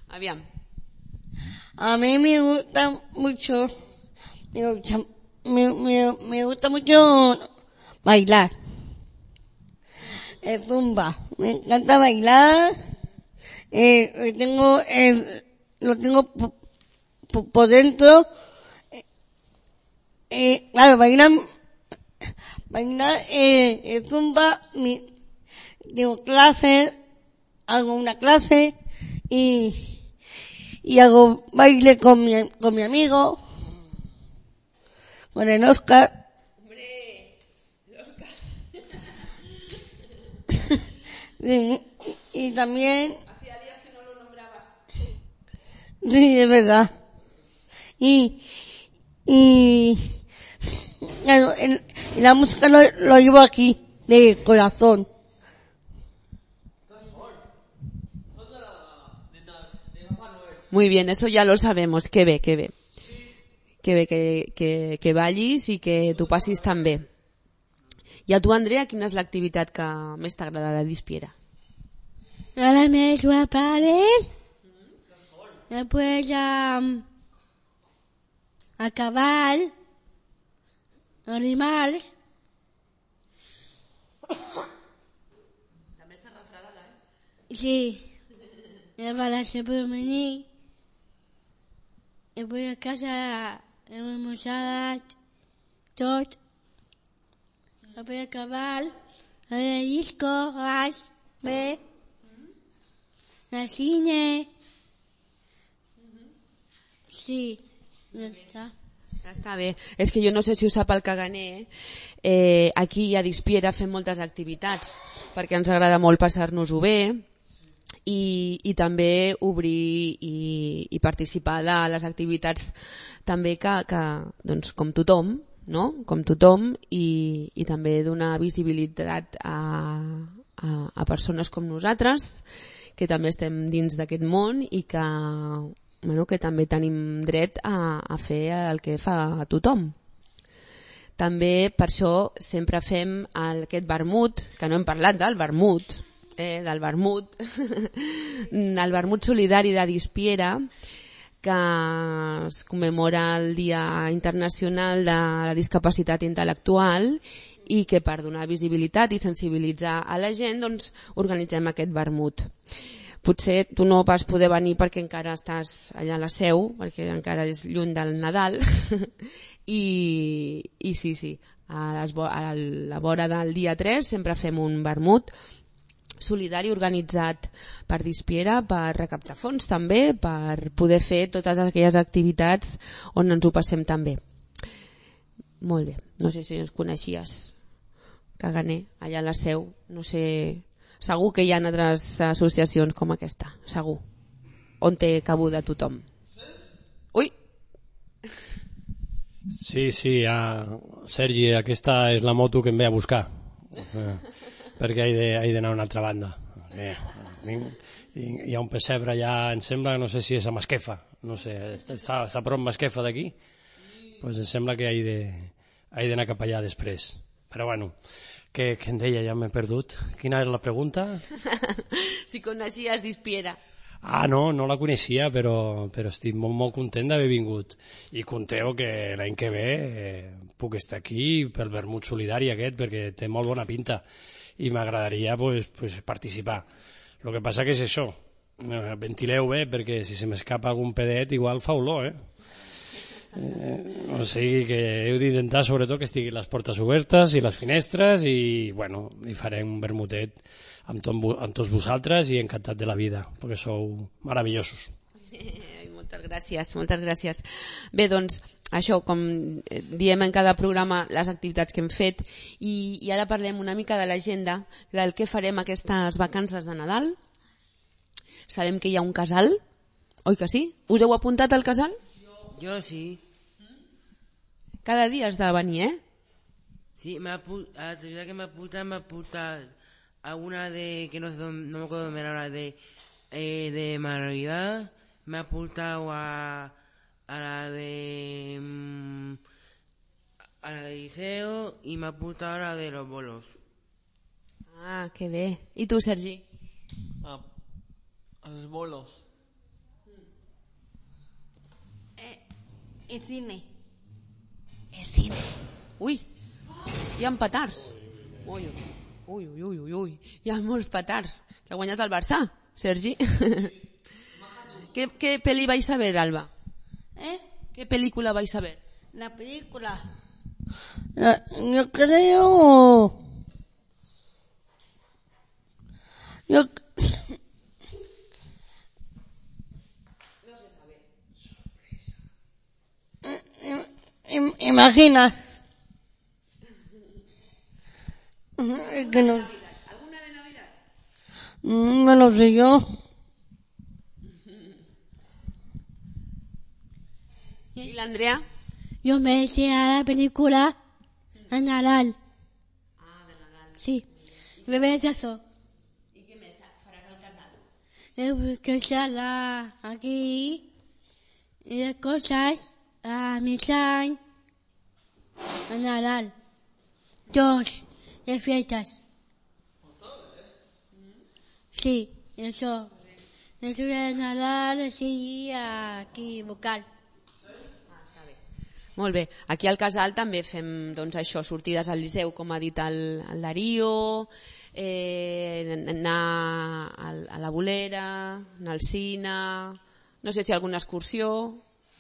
Aviam. A mí me gusta mucho bailar. El zumba. Me encanta bailar. Lo tengo por dentro. Claro, bailar el zumba. Tengo clases, hago una clase y hago baile con mi amigo, con el Oscar. Hombre, el Oscar. Sí, y también... Hacía días que no lo nombrabas. Sí, es verdad. Y claro, la música lo llevo aquí, de corazón. Muy bien, eso ya lo sabemos. Que bé. Que bé que ballis i que tu passis tan bé. I a tu, Andrea, quina és l'activitat que més t'agrada de Dispiera? Ahora me juego a pádel. Después a cavall. Animals. També estàs refredada, Sí. Me va a la femení. Y voy a casa, hemos almorzado tot. Voy a acabar, a ver el disco, vas, ve, al cine. Sí, ya está. Ja està bé. És que jo no sé si ho sap el caganer. Aquí a Dispiera fem moltes activitats perquè ens agrada molt passar-nos-ho bé. I també obrir i participar de les activitats també que doncs, com tothom, no? Com tothom i també donar visibilitat a persones com nosaltres que també estem dins d'aquest món i que també tenim dret a fer el que fa tothom. També per això sempre fem aquest vermut, que no hem parlat del vermut, el vermut solidari de Dispiera, que es commemora el Dia Internacional de la Discapacitat Intel·lectual i que per donar visibilitat i sensibilitzar a la gent doncs, organitzem aquest vermut. potser tu no vas poder venir perquè encara estàs allà a la Seu, perquè encara és lluny del Nadal, i sí, a la vora del dia 3 sempre fem un vermut solidari organitzat per Dispiera per recaptar fons també, per poder fer totes aquelles activitats on ens ho passem tan bé. Molt bé, no sé si ens coneixies, Caganer, allà a la Seu, no sé, segur que hi ha altres associacions com aquesta, segur, on té cabuda tothom. Ui! Sí, Sergi, aquesta és la moto que em ve a buscar, perquè he d'anar a una altra banda. Hi ha un pessebre allà, em sembla, no sé si és a Masquefa, no sé, està a prop Masquefa d'aquí, doncs em sembla que he d'anar cap allà després. Però bueno, què em deia? Ja m'he perdut. Quina era la pregunta? Si coneixies Dispiera. No la coneixia, però estic molt content d'haver vingut. I conteu que l'any que ve puc estar aquí pel vermut solidari aquest, perquè té molt bona pinta i m'agradaria participar. El que passa que és això, ventileu bé, perquè si se m'escapa algun pedet igual fa olor, o sigui que heu d'intentar sobretot que estiguin les portes obertes i les finestres i farem un vermutet amb tots vosaltres i encantat de la vida perquè sou meravellosos. Moltes gràcies. Bé, doncs això, com diem en cada programa, les activitats que hem fet i ara parlem una mica de l'agenda del que farem aquestes vacances de Nadal. Sabem que hi ha un casal, oi que sí? Us heu apuntat al casal? Jo sí. Cada dia has de venir, Sí, actividad que me apunta a una de, que no me acuerdo de ahora, de manualidad, me ha apuntado a la de liceo y me ha apuntado a la de los bolos. Ah, que bé. I tu, Sergi? Els bolos. El cine. El cine. Ui, hi ha petards. Ui. Hi ha molts petards. Que ha guanyat el Barça, Sergi. ¿Qué peli vais a ver, Alba? ¿Qué película vais a ver? La película. Yo creo... No se sabe. Imagina. Que no. ¿Alguna de Navidad? No lo sé yo. ¿Y la Andrea? Yo me decía la película de Nadal. Ah, de Nadal. Sí. Me ves eso. ¿Y qué me faràs al casal? Que sala aquí y de cosas a mi san a Nadal. Dos de fiestas. Sí, eso. Eso de Nadal así aquí vocal. Molt bé. Aquí al casal també fem doncs, això, sortides al Liceu, com ha dit el Darío, anar a la Bolera, anar al cine, no sé si alguna excursió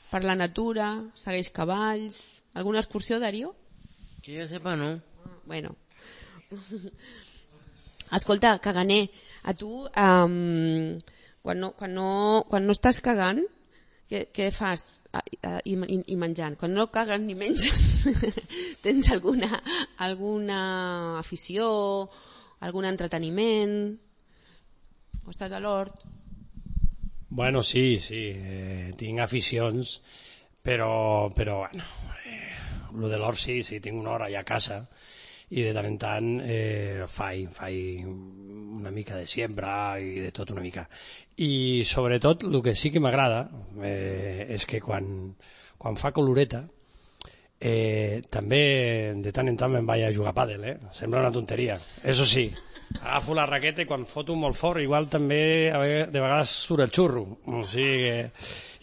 per la natura, segueix cavalls... Alguna excursió, Darío? Que jo sepa, no. Bueno. Escolta, Caganer, a tu, quan no estàs cagant, què fas i menjant? Quan no cagues ni menges, tens alguna afició, algun entreteniment? O estàs a l'hort? Bueno, sí, tinc aficions, però bueno, lo de l'hort sí, tinc una hora allà a casa i de tant en tant faig una mica de siembra i de tot una mica. I sobretot el que sí que m'agrada és que quan fa coloreta també de tant en tant me'n vaig a jugar a pàdel, sembla una tonteria, eso sí, agafo la raqueta i quan foto molt fort igual també de vegades surt el xurro, o sigui que...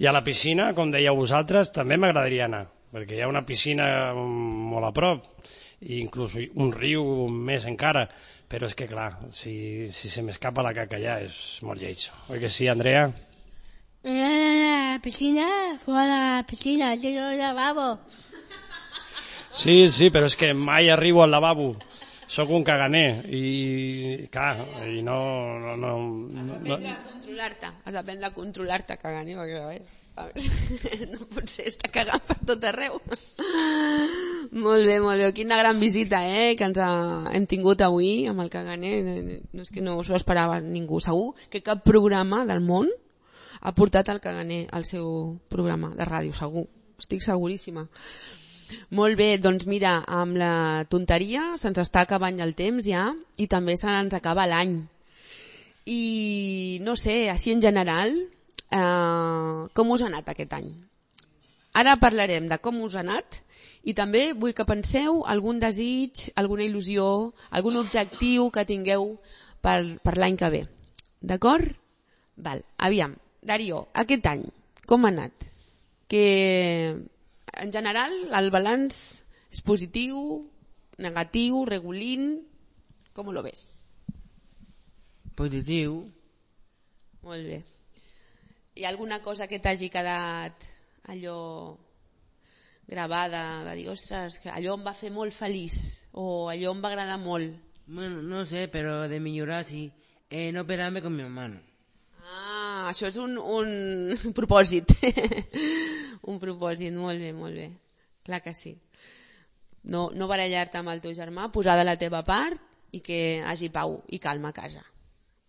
I a la piscina, com dèieu vosaltres, també m'agradaria anar, perquè hi ha una piscina molt a prop i inclús un riu més encara, però és que clar, si se m'escapa la caca ja és molt lleig. Oi que sí, Andrea? La piscina, fora de la piscina, tengo un lavabo. Sí, però és que mai arribo al lavabo. Soc un caganer i clar, i no... Has d'aprendre a controlar-te, caganer, perquè a veure, no pot ser estar cagant per tot arreu. Molt bé, quina gran visita que ens hem tingut avui amb el caganer. No és que no s'ho esperava ningú, segur que cap programa del món ha portat el caganer al seu programa de ràdio, segur, estic seguríssima. Molt bé, doncs mira, amb la tonteria se'ns està acabant el temps ja i també se n'ens acaba l'any. I no sé, així en general, com us ha anat aquest any? Ara parlarem de com us ha anat i també vull que penseu algun desig, alguna il·lusió, algun objectiu que tingueu per l'any que ve. D'acord? Val, aviam, Darío, aquest any, com ha anat? Que en general el balanç és positiu, negatiu, regulín, com lo ves? Positiu. Molt bé. Hi ha alguna cosa que t'hagi quedat allò gravada, de dir, ostres, que allò em va fer molt feliç o allò em va agradar molt? Bueno, no sé, pero de millorar sí. No operarme con mi hermano. Ah, això és un propòsit. Un propòsit, molt bé. Clar que sí. No barallar-te amb el teu germà, posar de la teva part i que hagi pau i calma a casa.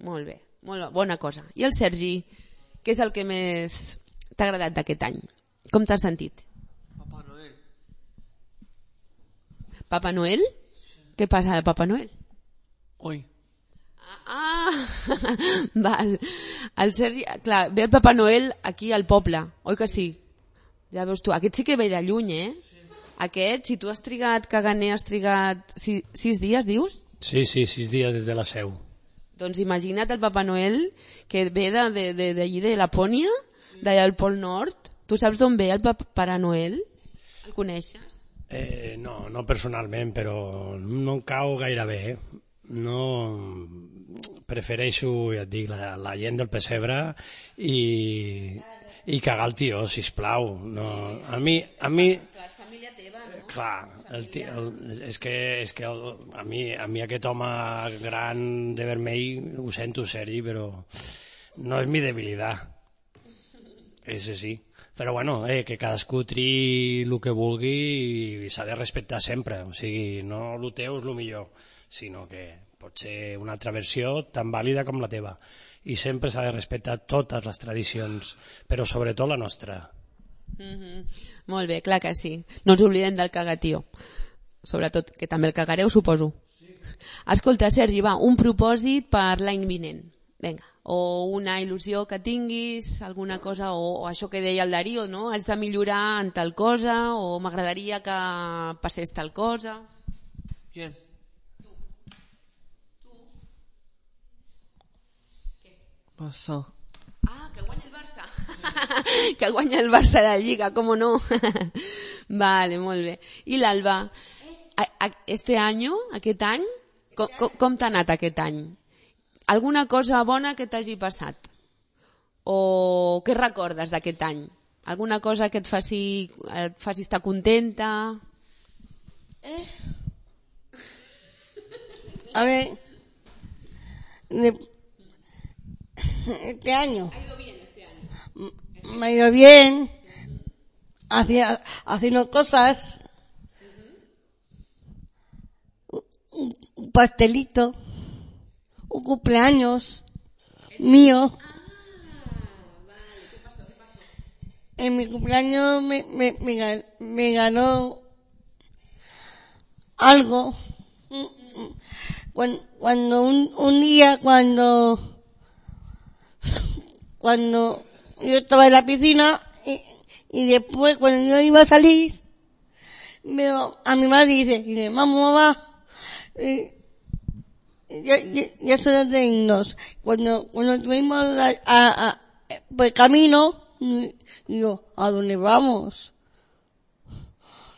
Molt bé, molt bona cosa. I el Sergi, què és el que més t'ha agradat d'aquest any? Com t'has sentit? Papá Noel. Papa Noel? Què passa de Papa Noel? Hoy. Val. El Sergi, clar, ve el Papa Noel aquí al poble, oi que sí? Ja veus tu, aquest sí que ve de lluny, Sí. Aquest, si tu has trigat, caganer, has trigat 6 dies, dius? Sí, 6 dies des de la seu. Doncs imagina't el Papa Noel que ve d'allí de Lapònia, d'allà al Pol Nord. Tu saps d'on ve el Pare Noel? El coneixes? No personalment, però no em cau gaire bé, No, prefereixo, ja et dic, la gent del pessebre i cagar el tió, sisplau. No, a mi... Clar, és família teva, no? Clar, és que a mi aquest home gran de vermell, ho sento, Sergi, però no és mi debilitat. Ese sí. Però bueno, que cadascú triï el que vulgui i s'ha de respectar sempre. O sigui, no el teu és el millor, sinó que pot ser una altra versió tan vàlida com la teva. I sempre s'ha de respectar totes les tradicions, però sobretot la nostra. Molt bé, clar que sí. No ens oblidem del cagatío. Sobretot, que també el cagareu, suposo. Escolta, Sergi, va, un propòsit per l'any vinent. Vinga. O una il·lusió que tinguis, alguna cosa, o això que deia el Darío, no? Has de millorar en tal cosa, o m'agradaria que passés tal cosa. Bien. Barça. Ah, que guanya el Barça. Que guanya el Barça de la Lliga, com no? Vale, molt bé. I l'Alba, aquest any, com t'ha anat aquest any? Alguna cosa bona que t'hagi passat? O què recordes d'aquest any? Alguna cosa que et faci estar contenta? A ver, este año. Ha ido bien este año. Me ha ido bien, haciendo cosas, un pastelito, un cumpleaños mío. Vale, ¿qué pasó? En mi cumpleaños me ganó algo. Cuando un día cuando yo estaba en la piscina y después cuando yo iba a salir veo a mi madre y dice mamá, ya son de irnos. Cuando tuvimos por el camino, digo, ¿a dónde vamos?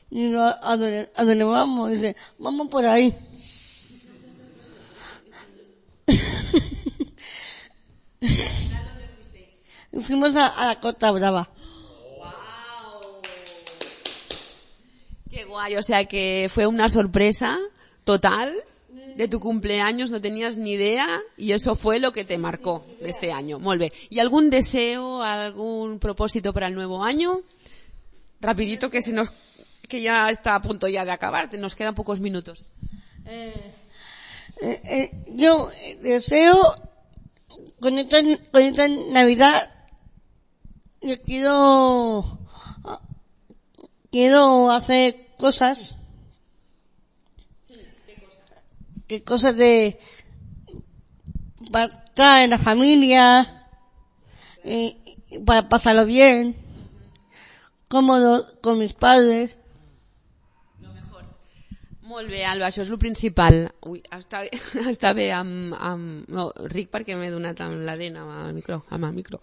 Y digo, ¿a dónde vamos? Y dice, vamos por ahí. Fuimos a la Costa Brava. ¡Wow! ¡Qué guay! O sea que fue una sorpresa total de tu cumpleaños, no tenías ni idea y eso fue lo que te marcó de este año. Molt bé. ¿Y algún deseo, algún propósito para el nuevo año? Rapidito que que ya está a punto ya de acabar, nos quedan pocos minutos. Yo deseo con esta Navidad yo quiero hacer cosas. ¿Qué cosas para estar en la familia, para pasarlo bien, cómodo con mis padres. Molt bé, Alba, això és el principal. Ui, està bé no, ric perquè m'he donat amb la dent amb el micro.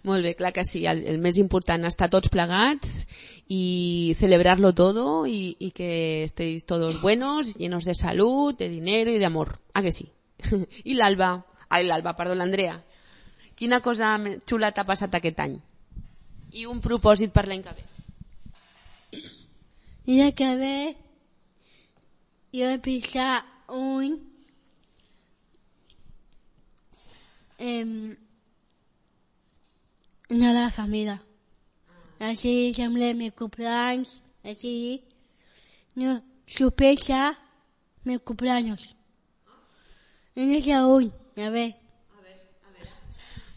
Molt bé, clar que sí, el més important, estar tots plegats y celebrarlo todo y que estéis todos buenos, llenos de salud, de dinero y de amor. ¿A que sí? I l'Andrea. Quina cosa xula t'ha passat aquest any? I un propòsit per l'any que ve. I l'any que ve jo vaig pensar anar a la família. Així sembla mi cumpleaños, així no sorpresa mi cumpleaños. No sé on, a veure.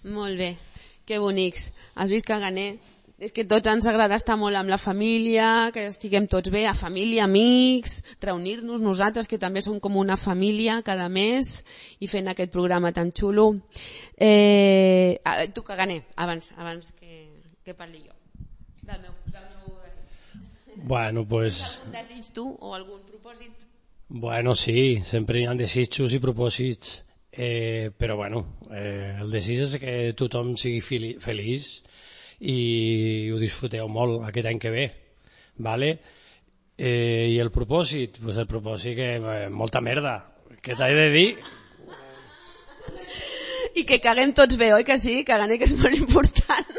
Molt bé, que bonics. Has vist, Caganer? És que tots ens agrada estar molt amb la família, que estiguem tots bé, a família, amics, reunir-nos nosaltres, que també som com una família cada mes, i fent aquest programa tan xulo. Tu, Caganer, abans que parli jo, del meu desig. Bueno, pues... Algun desig tu o algun propòsit? Bueno, sí, sempre hi ha desitjos i propòsits, però bueno, el desig és que tothom sigui feliç i ho disfruteu molt aquest any que ve, vale? I el propòsit, pues el propòsit que molta merda, què t'he de dir? I que caguem tots bé, oi que sí? Caganer, que és molt important.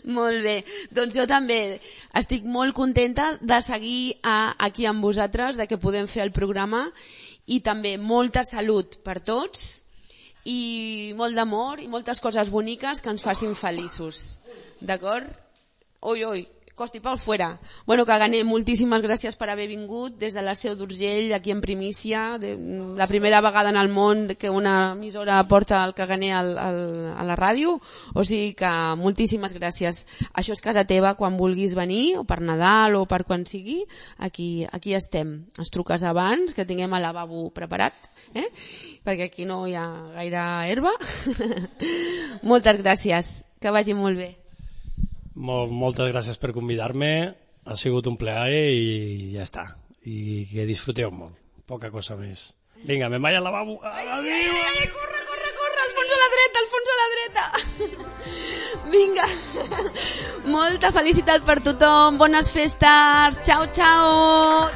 Molt bé, doncs jo també estic molt contenta de seguir aquí amb vosaltres, de que podem fer el programa, i també molta salut per tots i molt d'amor i moltes coses boniques que ens facin feliços, d'acord? Oi, Costi Pau fuera. Bueno, Caganer, moltíssimes gràcies per haver vingut des de la Seu d'Urgell, aquí en primícia, la primera vegada en el món que una emissora porta el Caganer a la ràdio, o sigui que moltíssimes gràcies. Això és casa teva, quan vulguis venir, o per Nadal o per quan sigui, aquí estem. Ens truques abans, que tinguem el lavabo preparat, perquè aquí no hi ha gaire herba. Moltes gràcies, que vagi molt bé. Moltes gràcies per convidar-me, ha sigut un plaer i ja està, i que disfruteu molt, poca cosa més. Vinga, me'n vaig al lavabo. Adéu! Corre, Alfons a la dreta! Vinga, molta felicitat per tothom, bones festes, ciao!